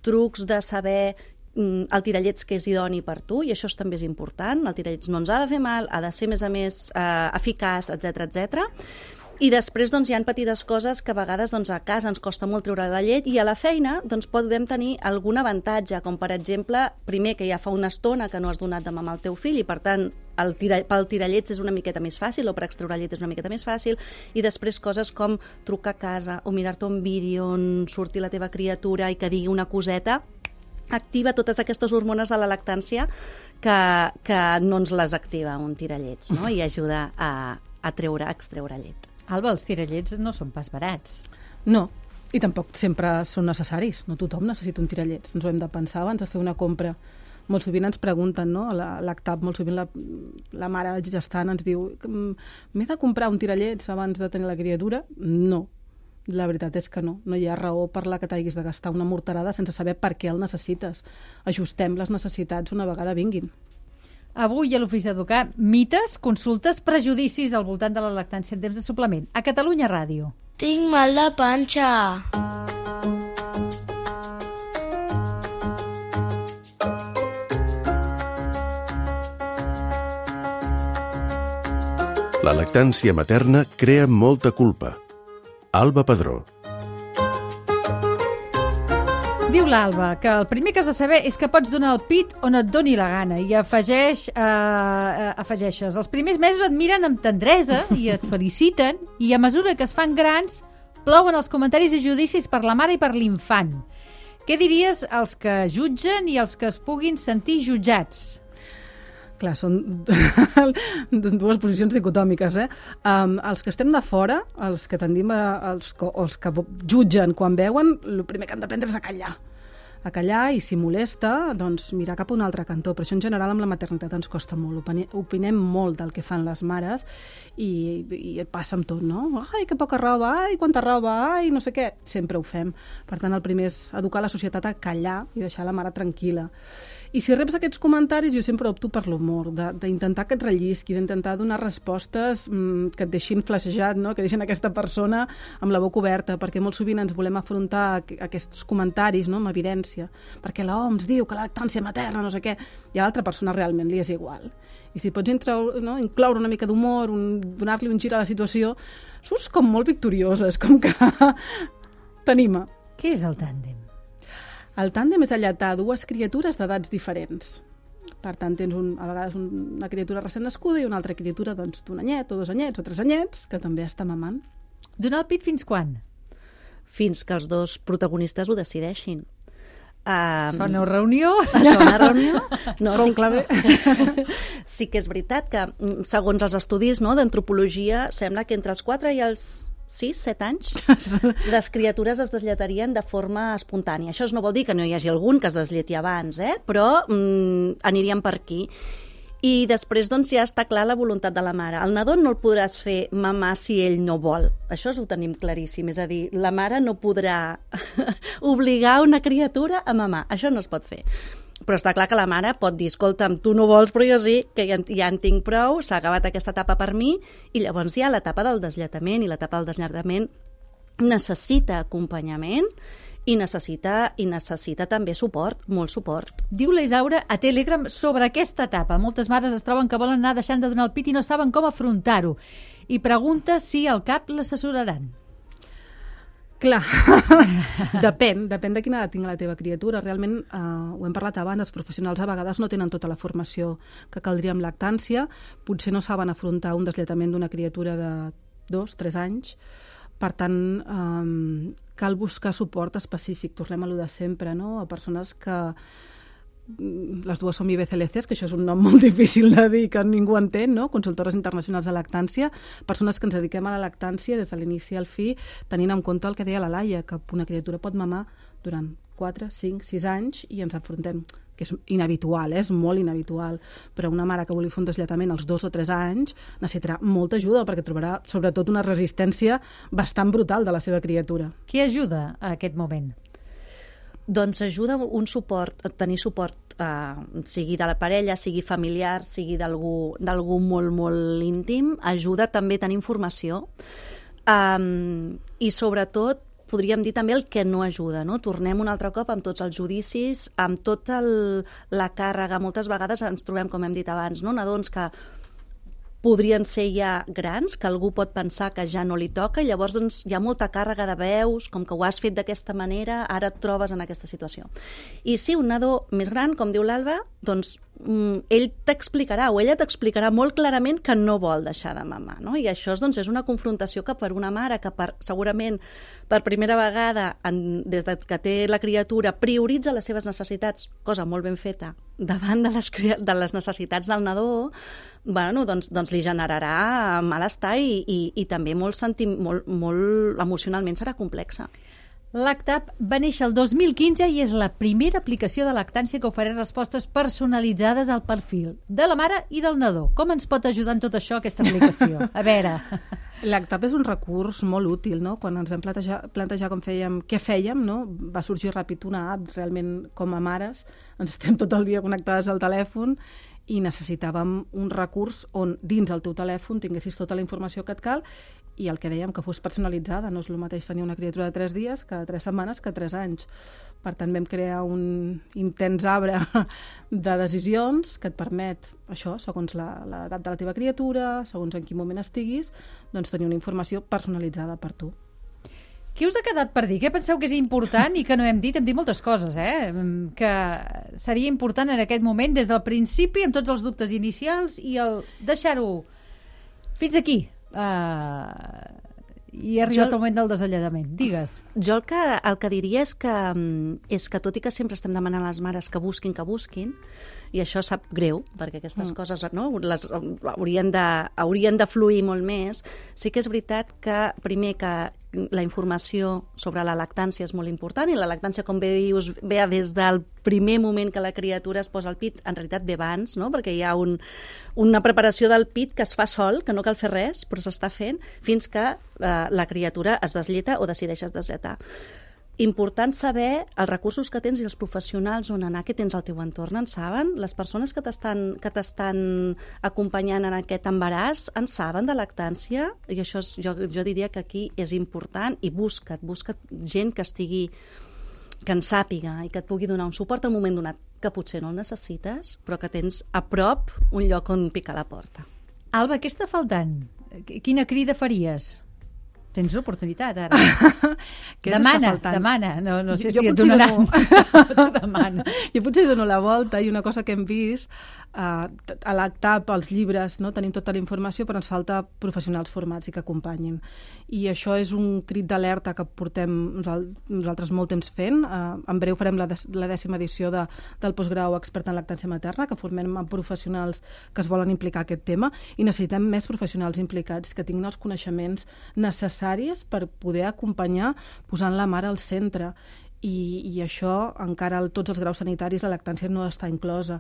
G: trucs de saber el tirallets que és idoni per tu, i això també és important. El tirallets no ens ha de fer mal, ha de ser, a més a més, eh, eficaç, etcètera, etcètera. I després doncs, hi ha petites coses que a vegades doncs, a casa ens costa molt treure la llet i a la feina doncs, podem tenir algun avantatge, com per exemple, primer que ja fa una estona que no has donat de mamar al teu fill i per tant el tira, pel tirallets és una miqueta més fàcil o per extreure llet és una miqueta més fàcil, i després coses com trucar a casa o mirar-te un vídeo on surti la teva criatura i que digui una coseta, activa totes aquestes hormones de la lactància que, que no ens les activa un tirallets, no? I ajuda a, a treure, a extreure llet.
C: Alba, els tirallets no són pas barats.
F: No, i tampoc sempre són necessaris. No tothom necessita un tirallets. Ens ho hem de pensar abans de fer una compra. Molt sovint ens pregunten, no? A l'ACTAP, molt sovint la, la mare gestant ens diu m'he de comprar un tirallets abans de tenir la criatura? No. La veritat és que no. No hi ha raó per la que t'hagis de gastar una morterada sense saber per què el necessites. Ajustem les necessitats una vegada vinguin.
C: Avui a l'Ofici d'Educar, mites, consultes, prejudicis al voltant de la lactància en temps de suplement. A Catalunya Ràdio.
A: Tinc mal de panxa.
D: La lactància materna crea molta culpa. Alba Padró.
C: Diu l'Alba que el primer que has de saber és que pots donar el pit on et doni la gana, i afegeix, eh, afegeixes els primers mesos et miren amb tendresa i et feliciten, i a mesura que es fan grans plouen els comentaris i judicis per la mare i per l'infant. Què diries als que jutgen i als que es puguin sentir jutjats?
F: Clar, són dues posicions dicotòmiques, eh? Um, els que estem de fora, els que tendim a, els, els que jutgen quan veuen, el primer que han d'aprendre és a callar. a callar i si molesta, doncs mirar cap a un altre cantó. Però això en general amb la maternitat ens costa molt. Opini- opinem molt del que fan les mares i, i passa amb tot, no? Ai, que poca roba, ai, quanta roba, ai, no sé què. Sempre ho fem. Per tant, el primer és educar la societat a callar i deixar la mare tranquil·la. I si reps aquests comentaris, jo sempre opto per l'humor, d'intentar que et rellisqui, d'intentar donar respostes mmm, que et deixin flaixejat, no? Que deixin aquesta persona amb la boca oberta, perquè molt sovint ens volem afrontar a aquests comentaris, no? Amb evidència, perquè l'O M S diu que la lactància materna, no sé què, i a l'altra persona realment li és igual. I si pots introure, no? incloure una mica d'humor, un, donar-li un gir a la situació, surts com molt victoriosa, és com que t'anima.
C: Què és el tàndem?
F: El tàndem és alletar dues criatures d'edats diferents. Per tant, tens un, a vegades una criatura recent nascuda i una altra criatura doncs, d'un anyet o dos anyets o tres anyets que també està mamant.
C: Donar el pit fins quan?
G: Fins que els dos protagonistes ho decideixin. Um,
C: es fa una reunió?
G: Es fa una reunió? No,
F: Com
G: sí,
F: clave.
G: Sí que és veritat que, segons els estudis, no, d'antropologia, sembla que entre els quatre i els sis, set anys, les criatures es desllatarien de forma espontània. Això no vol dir que no hi hagi algun que es desleti abans, eh? Però mm, aniríem per aquí. I després doncs, ja està clar la voluntat de la mare. El nadó no el podràs fer mamar si ell no vol. Això ho tenim claríssim. És a dir, la mare no podrà obligar una criatura a mamar. Això no es pot fer. Però està clar que la mare pot dir, escolta'm, tu no vols, però jo sí, que ja, ja en tinc prou, s'ha acabat aquesta etapa per mi, i llavors hi ha l'etapa del deslletament, i l'etapa del deslletament necessita acompanyament i necessita, i necessita també suport, molt suport.
C: Diu la Isaura a Telegram sobre aquesta etapa. Moltes mares es troben que volen anar deixant de donar el pit i no saben com afrontar-ho. I pregunta si al cap l'assessoraran.
F: Clar, depèn, depèn de quina edat tingui la teva criatura. Realment, eh, ho hem parlat abans, els professionals a vegades no tenen tota la formació que caldria amb lactància, potser no saben afrontar un deslletament d'una criatura de dos, tres anys, per tant, eh, cal buscar suport específic, tornem a lo de sempre, no? A persones que les dues som I B C L Cs, que això és un nom molt difícil de dir, que ningú entén, no? Consultores internacionals de lactància, persones que ens dediquem a la lactància des de l'inici al fi, tenint en compte el que deia la Laia, que una criatura pot mamar durant quatre, cinc, sis anys i ens enfrontem, que és inhabitual, eh? És molt inhabitual, però una mare que vulgui fer un deslletament als dos o tres anys necessitarà molta ajuda perquè trobarà sobretot una resistència bastant brutal de la seva criatura.
C: Què ajuda a aquest moment?
G: Doncs ajuda un suport, tenir suport, eh, sigui de la parella, sigui familiar, sigui d'algú d'algú molt, molt íntim, ajuda també a tenir informació um, i sobretot podríem dir també el que no ajuda, no? Tornem un altre cop amb tots els judicis, amb tota la càrrega. Moltes vegades ens trobem, com hem dit abans, no? Nadons que podrien ser ja grans, que algú pot pensar que ja no li toca, i llavors doncs, hi ha molta càrrega de veus, com que ho has fet d'aquesta manera, ara et trobes en aquesta situació. I sí, un nadó més gran, com diu l'Alba, doncs ell t'explicarà o ella t'explicarà molt clarament que no vol deixar de mamar, no? I això doncs, és una confrontació que per una mare que per, segurament per primera vegada en, des de que té la criatura prioritza les seves necessitats, cosa molt ben feta, davant de les, de les necessitats del nadó, bueno, doncs, doncs li generarà malestar i, i, i també molt, senti, molt, molt emocionalment serà complexa.
C: L'ACTAP va néixer el dos mil quinze i és la primera aplicació de lactància que ofereix respostes personalitzades al perfil de la mare i del nadó. Com ens pot ajudar en tot això aquesta aplicació? A veure...
F: L'ACTAP és un recurs molt útil, no? Quan ens vam plantejar, plantejar com fèiem, què fèiem, no? Va sorgir ràpid una app, realment com a mares, ens estem tot el dia connectades al telèfon i necessitàvem un recurs on dins el teu telèfon tinguessis tota la informació que et cal i el que dèiem, que fos personalitzada. No és el mateix tenir una criatura de tres dies que tres setmanes que tres anys. Per tant, vam crear un intens arbre de decisions que et permet, això, segons l'edat de la teva criatura, segons en quin moment estiguis, doncs tenir una informació personalitzada per tu.
C: Què us ha quedat per dir? Què penseu que és important i que no hem dit? Hem dit moltes coses, eh? Que seria important en aquest moment, des del principi, amb tots els dubtes inicials, i el deixar-ho fins aquí. Uh, I ha arribat jo, el moment del desalladament. Digues.
G: Jo el que, el que diria és que, és que tot i que sempre estem demanant a les mares que busquin, que busquin, I això sap greu, perquè aquestes mm. coses no, les, haurien, de, haurien de fluir molt més. Sí que és veritat que, primer, que la informació sobre la lactància és molt important, i la lactància, com bé dius, ve des del primer moment que la criatura es posa al pit, en realitat ve abans, no? Perquè hi ha un, una preparació del pit que es fa sol, que no cal fer res, però s'està fent, fins que eh, la criatura es desleta o decideix desletar. Important saber els recursos que tens i els professionals on anar, que tens al teu entorn, en saben? Les persones que t'estan que t'estan acompanyant en aquest embaràs en saben de lactància? I això és, jo, jo diria que aquí és important, i busca't, busca't gent que estigui, que en sàpiga i que et pugui donar un suport al moment donat, que potser no el necessites, però que tens a prop un lloc on picar la porta.
C: Alba, què està faltant? Quina crida faries? Tens oportunitat, ara. Demana, demana. No, no sé
F: jo,
C: si
F: jo
C: et donaran.
F: Dono... demana. Jo potser dono la volta, i una cosa que hem vist, uh, a l'A C T A P, als llibres, no? Tenim tota la informació, però ens falta professionals formats i que acompanyin. I això és un crit d'alerta que portem nosaltres molt temps fent. Uh, en breu farem la, la dècima edició de, del postgrau expert en lactància materna, que formem amb professionals que es volen implicar en aquest tema, i necessitem més professionals implicats que tinguin els coneixements necessaris per poder acompanyar posant la mare al centre. I, i això encara a tots els graus sanitaris la lactància no està inclosa.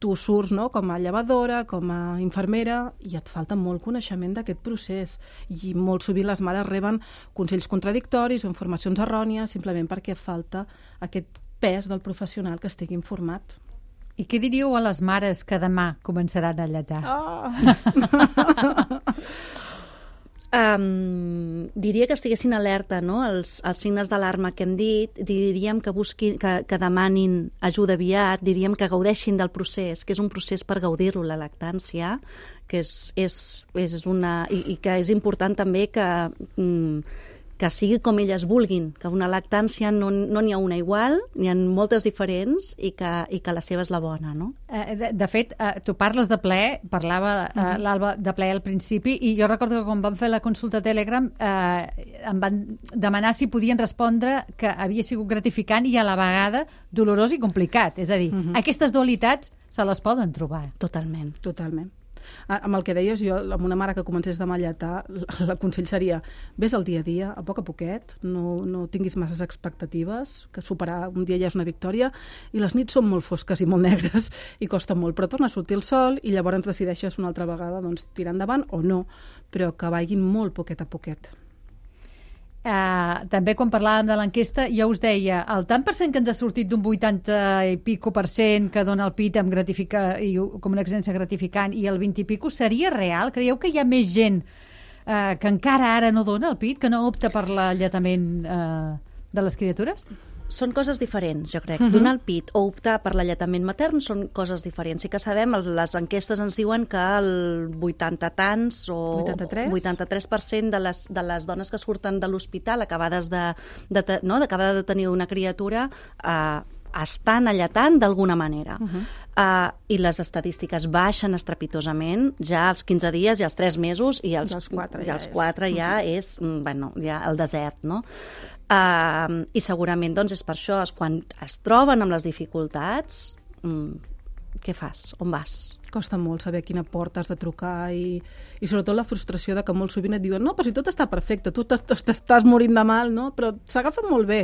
F: Tu surts, no?, com a llevadora, com a infermera, i et falta molt coneixement d'aquest procés, i molt sovint les mares reben consells contradictoris o informacions errònies simplement perquè falta aquest pes del professional que estigui informat.
C: I què diríeu a les mares que demà començaran a lletar?
F: Oh.
G: Um, diria que estiguessin alerta, no?, els, els signes d'alarma que hem dit, diríem que busquin, que, que demanin ajuda aviat, diríem que gaudeixin del procés, que és un procés per gaudir-lo, la lactància, que és, és, és una... I, i que és important també que... Mm, que sigui com elles vulguin, que una lactància no no n'hi ha una igual, n'hi ha moltes diferents, i que, i que la seva és la bona, no?
C: Eh, de, de fet, eh, tu parles de ple, parlava eh, uh-huh. l'Alba de ple al principi, i jo recordo que quan vam fer la consulta a Telegram eh, em van demanar si podien respondre que havia sigut gratificant i a la vegada dolorós i complicat. És a dir, uh-huh. aquestes dualitats se les poden trobar.
G: Totalment.
F: Totalment. Amb el que deies, jo, amb una mare que comencés demà a lletar, el consell seria ves al dia a dia, a poc a poquet, no, no tinguis masses expectatives, que superar un dia ja és una victòria, i les nits són molt fosques i molt negres i costa molt, però torna a sortir el sol i llavors decideixes una altra vegada doncs, tirar endavant o no, però que vagin molt poquet a poquet.
C: Uh, també quan parlàvem de l'enquesta ja us deia, el tant per cent que ens ha sortit d'un vuitanta i pico per cent que dona el pit amb gratifica, i, com una experiència gratificant, i el vint i pico seria real? Creieu que hi ha més gent uh, que encara ara no dona el pit, que no opta per l'alletament uh, de les criatures?
G: Són coses diferents, jo crec. Uh-huh. Donar el pit o optar per l'alletament matern són coses diferents. Sí que sabem, les enquestes ens diuen que el vuitanta tants o
F: vuitanta-tres
G: vuitanta-tres per cent de les, de les dones que surten de l'hospital acabades de, de, no, d'acabada de tenir una criatura eh, estan alletant d'alguna manera. Uh-huh. Uh, I les estadístiques baixen estrepitosament ja als quinze dies i als tres mesos, i als,
F: als quatre
G: ja,
F: ja,
G: als quatre
F: és.
G: ja és, bueno, ja el desert, no? Uh, I segurament doncs, és per això, és quan es troben amb les dificultats, um, què fas? On vas?
F: Costa molt saber a quina porta has de trucar, i, i sobretot la frustració de que molt sovint et diuen no, però si tot està perfecte, tu t'estàs morint de mal, no? Però s'agafa molt bé.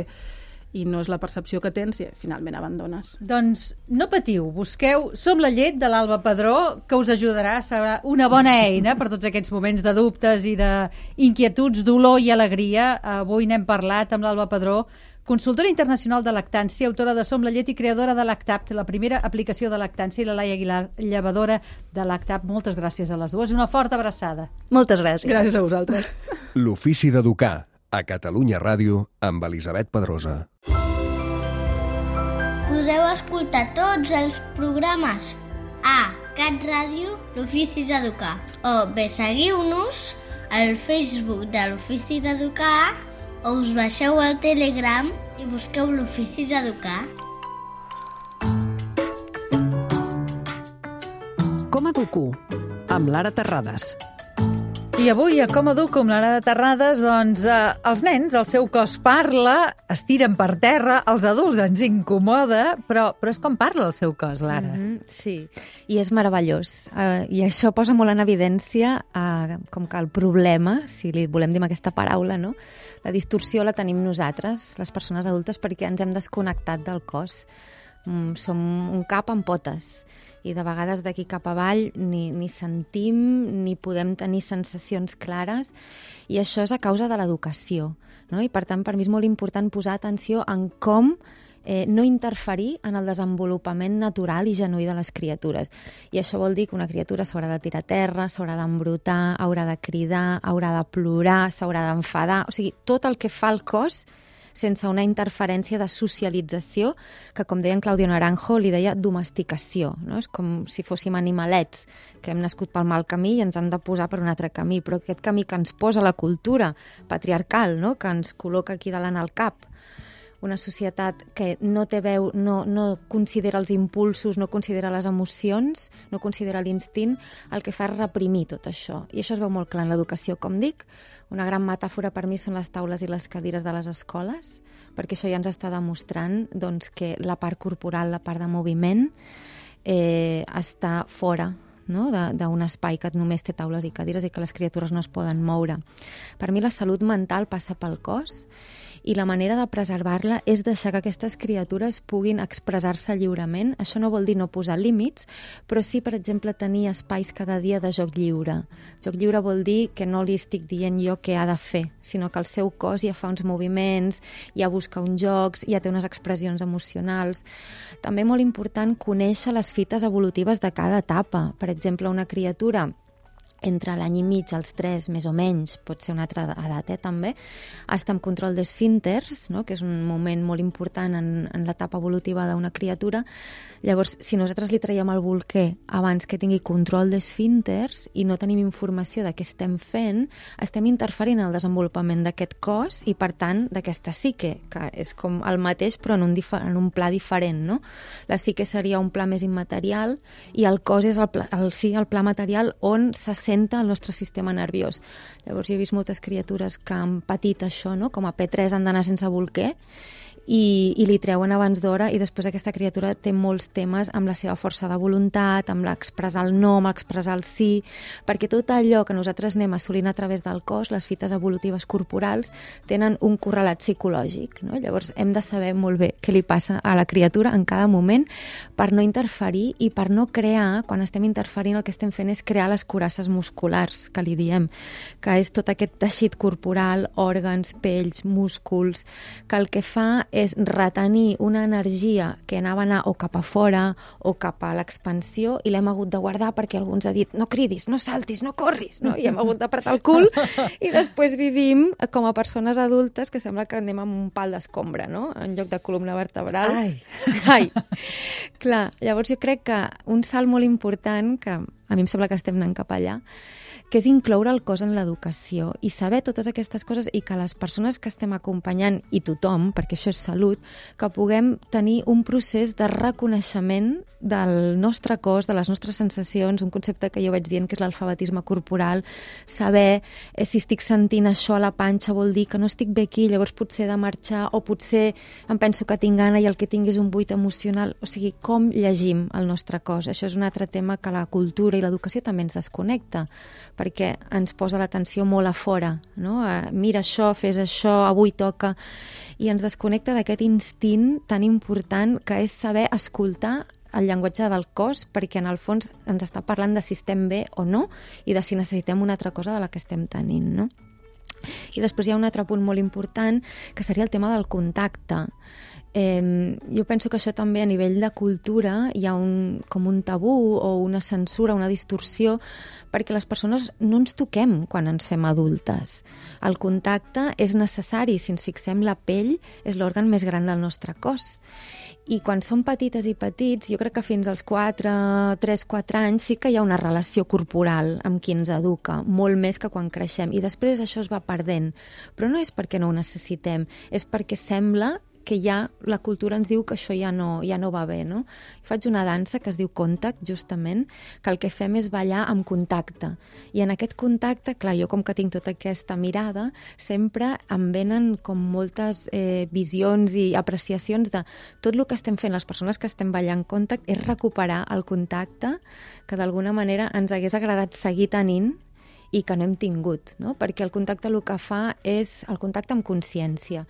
F: I no és la percepció que tens i finalment abandones.
C: Doncs no patiu, busqueu Som la llet de l'Alba Padró, que us ajudarà, serà una bona eina per tots aquests moments de dubtes i d'inquietuds, dolor i alegria. Avui n'hem parlat amb l'Alba Padró, consultora internacional de lactància, autora de Som la llet i creadora de Lactapt, la primera aplicació de lactància, i la Laia Aguilar, llevadora de Lactapt. Moltes gràcies a les dues. Una forta abraçada.
G: Moltes gràcies.
F: Gràcies a vosaltres.
H: L'Ofici d'Educar, a Catalunya Ràdio, amb Elisabet Pedrosa.
A: Podeu escoltar tots els programes a Cat Ràdio, l'Ofici d'Educar, o bé seguiu-nos al Facebook de l'Ofici d'Educar, o us baixeu al Telegram i busqueu l'Ofici d'Educar.
E: Com educo? Amb Lara Terrades.
C: I avui, a Com Educo amb l'Ara de Terrades, doncs eh, els nens, el seu cos parla, es tiren per terra, els adults ens incomoda, però, però és com parla el seu cos, Lara.
I: Mm-hmm, sí, i és meravellós. Uh, I això posa molt en evidència uh, com que el problema, si li volem dir amb aquesta paraula, no? La distorsió la tenim nosaltres, les persones adultes, perquè ens hem desconnectat del cos. Mm, som un cap amb potes. I de vegades d'aquí cap avall ni, ni sentim ni podem tenir sensacions clares, i això és a causa de l'educació, no? I per tant per mi és molt important posar atenció en com eh, no interferir en el desenvolupament natural i genuí de les criatures. I això vol dir que una criatura s'haurà de tirar a terra, s'haurà d'embrutar, haurà de cridar, haurà de plorar, s'haurà d'enfadar, o sigui, tot el que fa el cos sense una interferència de socialització, que, com deia en Claudio Naranjo, li deia domesticació, no? És com si fóssim animalets que hem nascut pel mal camí i ens han de posar per un altre camí, però aquest camí que ens posa la cultura patriarcal, no? Que ens col·loca aquí davant al cap, una societat que no té veu, no, no considera els impulsos, no considera les emocions, no considera l'instint, el que fa és reprimir tot això. I això es veu molt clar en l'educació, com dic. Una gran metàfora per mi són les taules i les cadires de les escoles, perquè això ja ens està demostrant doncs, que la part corporal, la part de moviment, eh, està fora, no? d'un espai que només té taules i cadires i que les criatures no es poden moure. Per mi la salut mental passa pel cos, i la manera de preservar-la és deixar que aquestes criatures puguin expressar-se lliurement. Això no vol dir no posar límits, però sí, per exemple, tenir espais cada dia de joc lliure. Joc lliure vol dir que no li estic dient jo què ha de fer, sinó que el seu cos ja fa uns moviments, ja busca uns jocs, ja té unes expressions emocionals. També molt important conèixer les fites evolutives de cada etapa. Per exemple, una criatura entre l'any i mig, als tres, més o menys, pot ser una altra edat, eh, també, està en control d'esfínters, no? Que és un moment molt important en, en l'etapa evolutiva d'una criatura. Llavors, si nosaltres li traiem el bolquer abans que tingui control d'esfínters i no tenim informació de què estem fent, estem interferint en el desenvolupament d'aquest cos i, per tant, d'aquesta psique, que és com el mateix però en un, en un pla diferent, no? La psique seria un pla més immaterial i el cos és el pla, el, sí, el pla material on se senta el nostre sistema nerviós. Llavors, jo he vist moltes criatures que han patit això, no? Com a P tres han d'anar sense bolquer, I, i li treuen abans d'hora, i després aquesta criatura té molts temes amb la seva força de voluntat, amb l'expressar el no, amb l'expressar el sí, perquè tot allò que nosaltres anem assolint a través del cos, les fites evolutives corporals, tenen un correlat psicològic, no? Llavors hem de saber molt bé què li passa a la criatura en cada moment per no interferir i per no crear, quan estem interferint el que estem fent és crear les curasses musculars, que li diem, que és tot aquest teixit corporal, òrgans, pells, músculs, que el que fa és retenir una energia que anava a anar o cap a fora o cap a l'expansió, i l'hem hagut de guardar perquè algú ens ha dit no cridis, no saltis, no corris, no? I hem hagut d'apretar el cul, i després vivim com a persones adultes que sembla que anem amb un pal d'escombra, no? En lloc de columna vertebral.
C: Ai!
I: Ai! Clar, llavors jo crec que un salt molt important, que a mi em sembla que estem anant cap allà, que és incloure el cos en l'educació i saber totes aquestes coses, i que les persones que estem acompanyant, i tothom, perquè això és salut, que puguem tenir un procés de reconeixement del nostre cos, de les nostres sensacions, un concepte que jo vaig dient que és l'alfabetisme corporal, saber eh, si estic sentint això a la panxa vol dir que no estic bé aquí, llavors potser he de marxar, o potser em penso que tinc gana i el que tinc és un buit emocional. O sigui, com llegim el nostre cos? Això és un altre tema que la cultura i l'educació també ens desconnecta, perquè ens posa l'atenció molt a fora, no? Eh, mira això, fes això, avui toca, i ens desconnecta d'aquest instint tan important que és saber escoltar el llenguatge del cos, perquè en el fons ens està parlant de si estem bé o no i de si necessitem una altra cosa de la que estem tenint, no? I després hi ha un altre punt molt important, que seria el tema del contacte. Eh, jo penso que això també a nivell de cultura hi ha un, com un tabú o una censura, una distorsió, perquè les persones no ens toquem quan ens fem adultes. El contacte és necessari. Si ens fixem, la pell és l'òrgan més gran del nostre cos. I quan som petites i petits, jo crec que fins als quatre, tres, quatre anys sí que hi ha una relació corporal amb qui ens educa, molt més que quan creixem. I després això es va perdent. Però no és perquè no ho necessitem, és perquè sembla que ja la cultura ens diu que això ja no, ja no va bé, no? Faig una dansa que es diu Contact, justament, que el que fem és ballar amb contacte. I en aquest contacte, clar, jo com que tinc tota aquesta mirada, sempre em venen com moltes eh, visions i apreciacions de tot el que estem fent, les persones que estem ballant Contact, és recuperar el contacte que d'alguna manera ens hagués agradat seguir tenint i que no hem tingut, no? Perquè el contacte el que fa és el contacte amb consciència.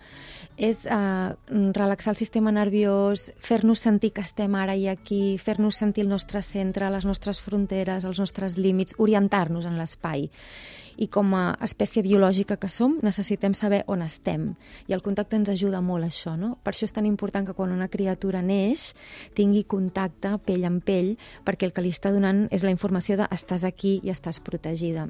I: És eh, relaxar el sistema nerviós, fer-nos sentir que estem ara i aquí, fer-nos sentir el nostre centre, les nostres fronteres, els nostres límits, orientar-nos en l'espai. I com a espècie biològica que som, necessitem saber on estem. I el contacte ens ajuda molt a això, no? Per això és tan important que quan una criatura neix tingui contacte pell amb pell, perquè el que li està donant és la informació de estàs aquí i estàs protegida.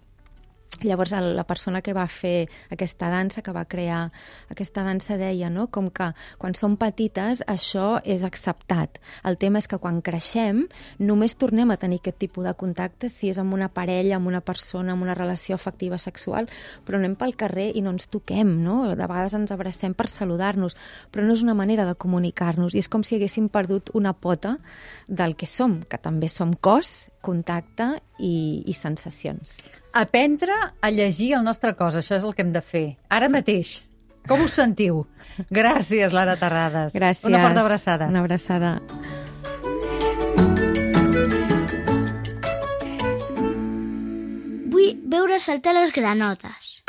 I: Llavors, la persona que va fer aquesta dansa, que va crear aquesta dansa, deia, no?, com que quan som petites això és acceptat. El tema és que quan creixem només tornem a tenir aquest tipus de contacte si és amb una parella, amb una persona, amb una relació afectiva sexual, però anem pel carrer i no ens toquem, no? De vegades ens abracem per saludar-nos, però no és una manera de comunicar-nos i és com si haguéssim perdut una pota del que som, que també som cos, contacte i, i sensacions.
C: Aprendre a llegir el nostre cos, això és el que hem de fer. Ara sí. Mateix. Com us sentiu? Gràcies, Lara Terrades.
I: Gràcies.
C: Una forta abraçada.
I: Una abraçada.
A: Vull veure saltar les granotes.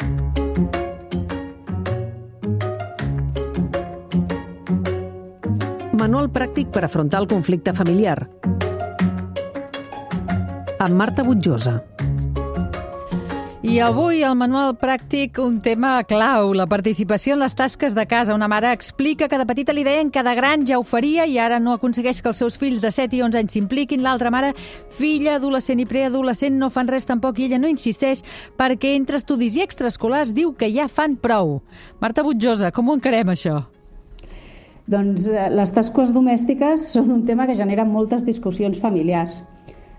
J: Manual pràctic per afrontar el conflicte familiar. Amb Marta Butjosa.
C: I avui al manual pràctic un tema clau, la participació en les tasques de casa. Una mare explica que de petita li deien que de gran ja ho faria i ara no aconsegueix que els seus fills de set i onze anys s'impliquin. L'altra mare, filla adolescent i preadolescent, no fan res tampoc i ella no insisteix perquè entre estudis i extraescolars diu que ja fan prou. Marta Butjosa, com ho encarem això?
K: Doncs les tasques domèstiques són un tema que genera moltes discussions familiars.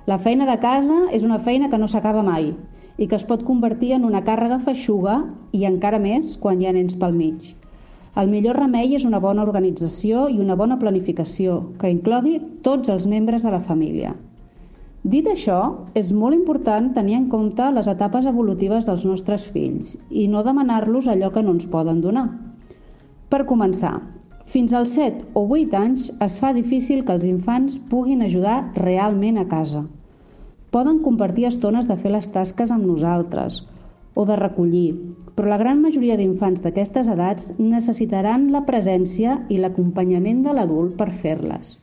K: La feina de casa és una feina que no s'acaba mai i que es pot convertir en una càrrega feixuga i encara més quan hi ha nens pel mig. El millor remei és una bona organització i una bona planificació que inclogui tots els membres de la família. Dit això, és molt important tenir en compte les etapes evolutives dels nostres fills i no demanar-los allò que no ens poden donar. Per començar, fins als set o vuit anys es fa difícil que els infants puguin ajudar realment a casa. Poden compartir estones de fer les tasques amb nosaltres o de recollir, però la gran majoria d'infants d'aquestes edats necessitaran la presència i l'acompanyament de l'adult per fer-les.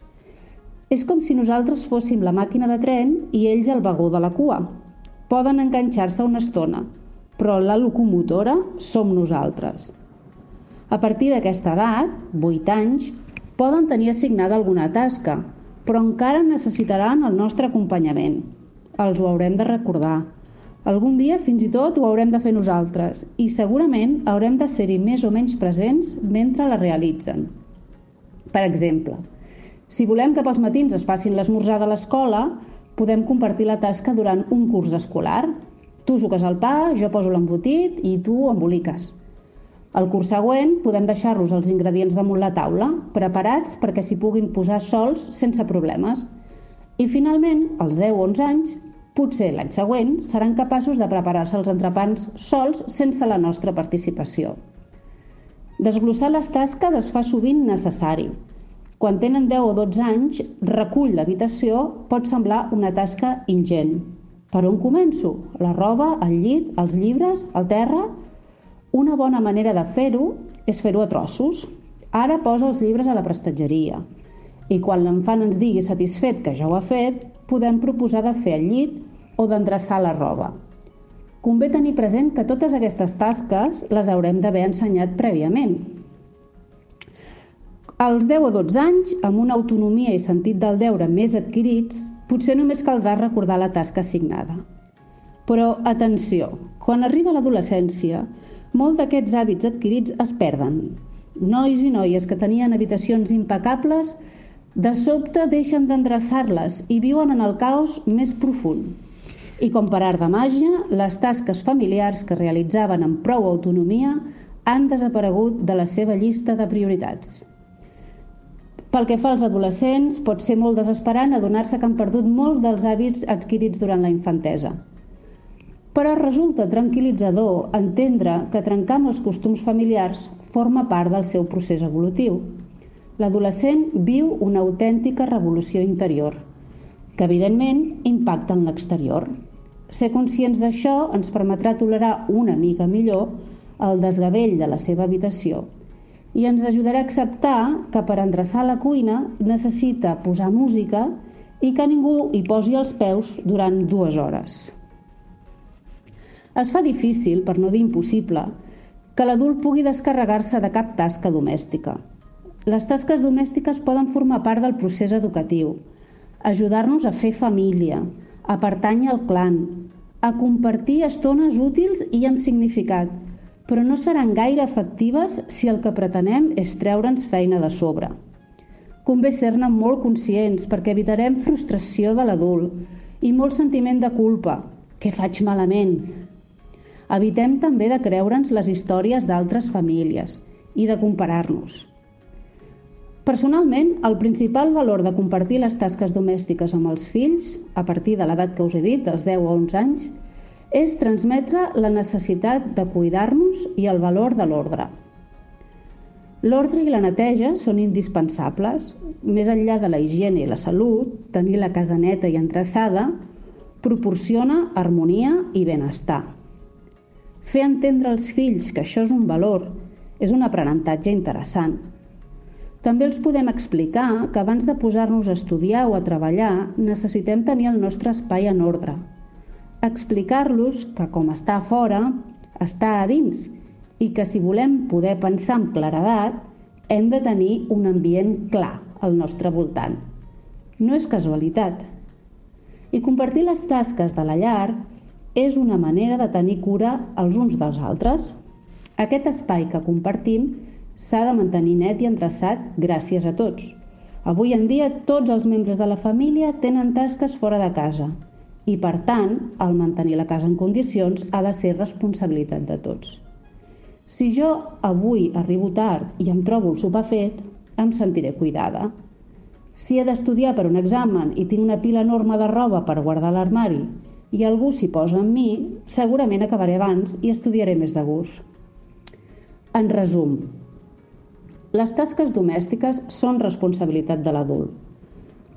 K: És com si nosaltres fóssim la màquina de tren i ells el vagó de la cua. Poden enganxar-se una estona, però la locomotora som nosaltres. A partir d'aquesta edat, vuit anys, poden tenir assignada alguna tasca, però encara necessitaran el nostre acompanyament. Els ho haurem de recordar. Algun dia fins i tot ho haurem de fer nosaltres i segurament haurem de ser-hi més o menys presents mentre la realitzen. Per exemple, si volem que pels matins es facin l'esmorzar de l'escola, podem compartir la tasca durant un curs escolar. Tu suques el pa, jo poso l'embotit i tu emboliques. Al curs següent podem deixar-los els ingredients damunt la taula, preparats perquè s'hi puguin posar sols sense problemes. I finalment, als deu o onze anys, potser l'any següent, seran capaços de preparar-se els entrepans sols sense la nostra participació. Desglossar les tasques es fa sovint necessari. Quan tenen deu o dotze anys, recull l'habitació pot semblar una tasca ingent. Per on començo? La roba, el llit, els llibres, el terra? Una bona manera de fer-ho és fer-ho a trossos. Ara posa els llibres a la prestatgeria. I quan l'infant ens digui satisfet que ja ho ha fet, podem proposar de fer el llit o d'endreçar la roba. Convé tenir present que totes aquestes tasques les haurem d'haver ensenyat prèviament. Als deu o dotze anys, amb una autonomia i sentit del deure més adquirits, potser només caldrà recordar la tasca assignada. Però, atenció, quan arriba l'adolescència, molts d'aquests hàbits adquirits es perden. Nois i noies que tenien habitacions impecables de sobte deixen d'endreçar-les i viuen en el caos més profund. I com per art de màgia, les tasques familiars que realitzaven amb prou autonomia han desaparegut de la seva llista de prioritats. Pel que fa als adolescents, pot ser molt desesperant adonar-se que han perdut molts dels hàbits adquirits durant la infantesa. Però resulta tranquil·litzador entendre que trencar amb els costums familiars forma part del seu procés evolutiu. L'adolescent viu una autèntica revolució interior, que evidentment impacta en l'exterior. Ser conscients d'això ens permetrà tolerar una mica millor el desgavell de la seva habitació i ens ajudarà a acceptar que per endreçar la cuina necessita posar música i que ningú hi posi els peus durant dues hores. Es fa difícil, per no dir impossible, que l'adult pugui descarregar-se de cap tasca domèstica. Les tasques domèstiques poden formar part del procés educatiu, ajudar-nos a fer família, a pertànyer al clan, a compartir estones útils i amb significat, però no seran gaire efectives si el que pretenem és treure'ns feina de sobre. Convé ser-ne molt conscients perquè evitarem frustració de l'adult i molt sentiment de culpa. Què faig malament? Evitem també de creure'ns les històries d'altres famílies i de comparar-nos. Personalment, el principal valor de compartir les tasques domèstiques amb els fills, a partir de l'edat que us he dit, dels deu a onze anys, és transmetre la necessitat de cuidar-nos i el valor de l'ordre. L'ordre i la neteja són indispensables. Més enllà de la higiene i la salut, tenir la casa neta i endreçada proporciona harmonia i benestar. Fer entendre als fills que això és un valor és un aprenentatge interessant. També els podem explicar que abans de posar-nos a estudiar o a treballar necessitem tenir el nostre espai en ordre. Explicar-los que com està a fora, està a dins i que si volem poder pensar amb claredat hem de tenir un ambient clar al nostre voltant. No és casualitat. I compartir les tasques de la llar és una manera de tenir cura els uns dels altres. Aquest espai que compartim s'ha de mantenir net i endreçat gràcies a tots. Avui en dia tots els membres de la família tenen tasques fora de casa i, per tant, el mantenir la casa en condicions ha de ser responsabilitat de tots. Si jo avui arribo tard i em trobo el sopar fet, em sentiré cuidada. Si he d'estudiar per un examen i tinc una pila enorme de roba per guardar a l'armari i algú s'hi posa amb mi, segurament acabaré abans i estudiaré més de gust. En resum, les tasques domèstiques són responsabilitat de l'adult.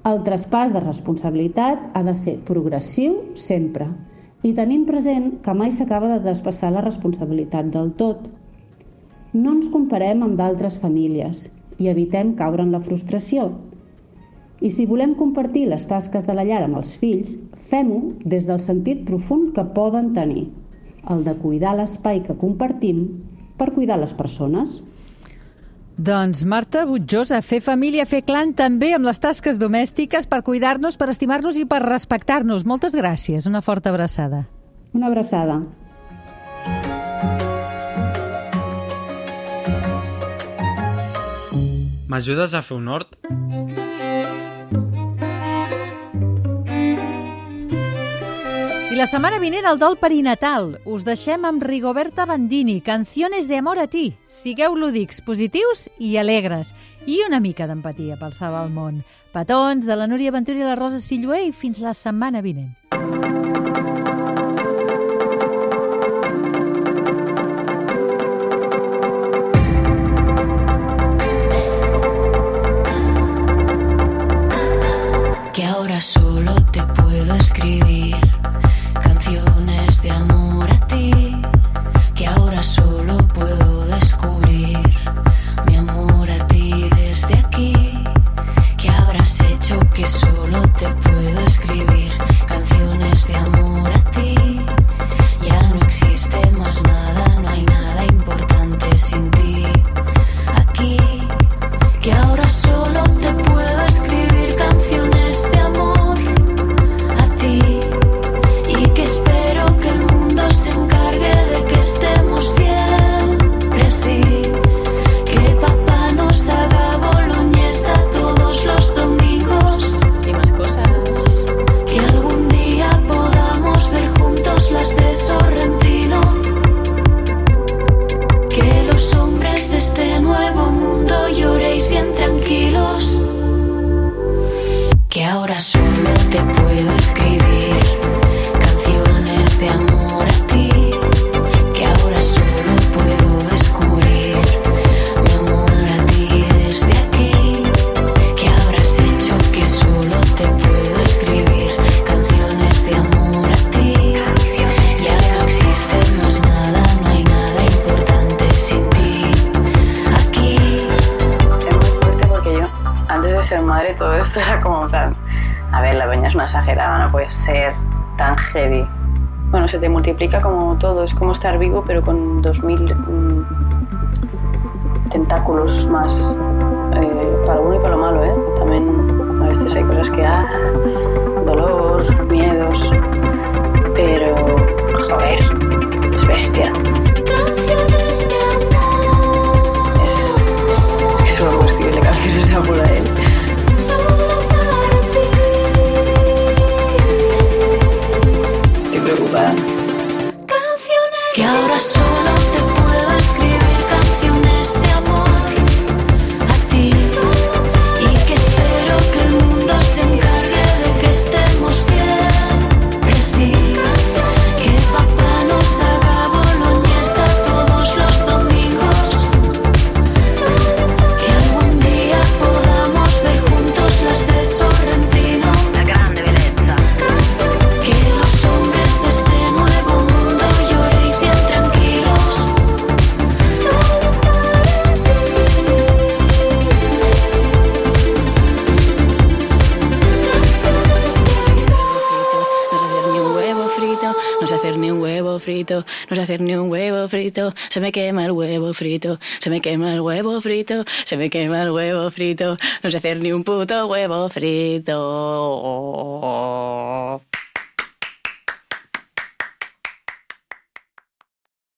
K: El traspàs de responsabilitat ha de ser progressiu sempre i tenim present que mai s'acaba de traspassar la responsabilitat del tot. No ens comparem amb d'altres famílies i evitem caure en la frustració. I si volem compartir les tasques de la llar amb els fills, fem-ho des del sentit profund que poden tenir, el de cuidar l'espai que compartim per cuidar les persones.
C: Doncs Marta Butjosa, fer família, fer clan també amb les tasques domèstiques per cuidar-nos, per estimar-nos i per respectar-nos. Moltes gràcies. Una forta abraçada.
K: Una abraçada.
L: M'ajudes a fer un hort?
C: I la setmana vinent el dol perinatal. Us deixem amb Rigoberta Bandini, Canciones de amor a ti. Sigueu lúdics, positius i alegres. I una mica d'empatia pel salvar el món. Petons de la Núria Ventura i la Rosa Sillué i fins la setmana vinent.
M: Que ahora solo te puedo escribir canciones de amor a ti, que ahora solo puedo descubrir mi amor a ti desde aquí. ¿Qué habrás hecho que solo te puedo escribir canciones de amor a
B: y todo esto era como en plan, a ver, la peña es una exagerada, no puede ser tan heavy. Bueno, se te multiplica como todo, es como estar vivo pero con dos mil mmm, tentáculos más, eh, para lo bueno y para lo malo, ¿eh? También a veces hay cosas que, ah, dolor, miedos, pero, joder, es bestia. Es, es que solo puedo escribirle canciones de amor a él. Estoy preocupada.
M: Que ahora solo te puedo escribir canciones de amor a ti, y que espero que el mundo se encargue de que estemos siempre así, que papá nos haga boloñesa todos los domingos, que algún día podamos ver juntos las de Sorrentino, la grande belleza, que los hombres de este nuevo mundo lloréis bien tranquilos, solo para
B: No sé hacer ni un huevo frito, no sé hacer ni un huevo frito, se me quema el huevo frito, se me quema el huevo frito, se me quema el huevo frito, no sé hacer ni un puto huevo frito.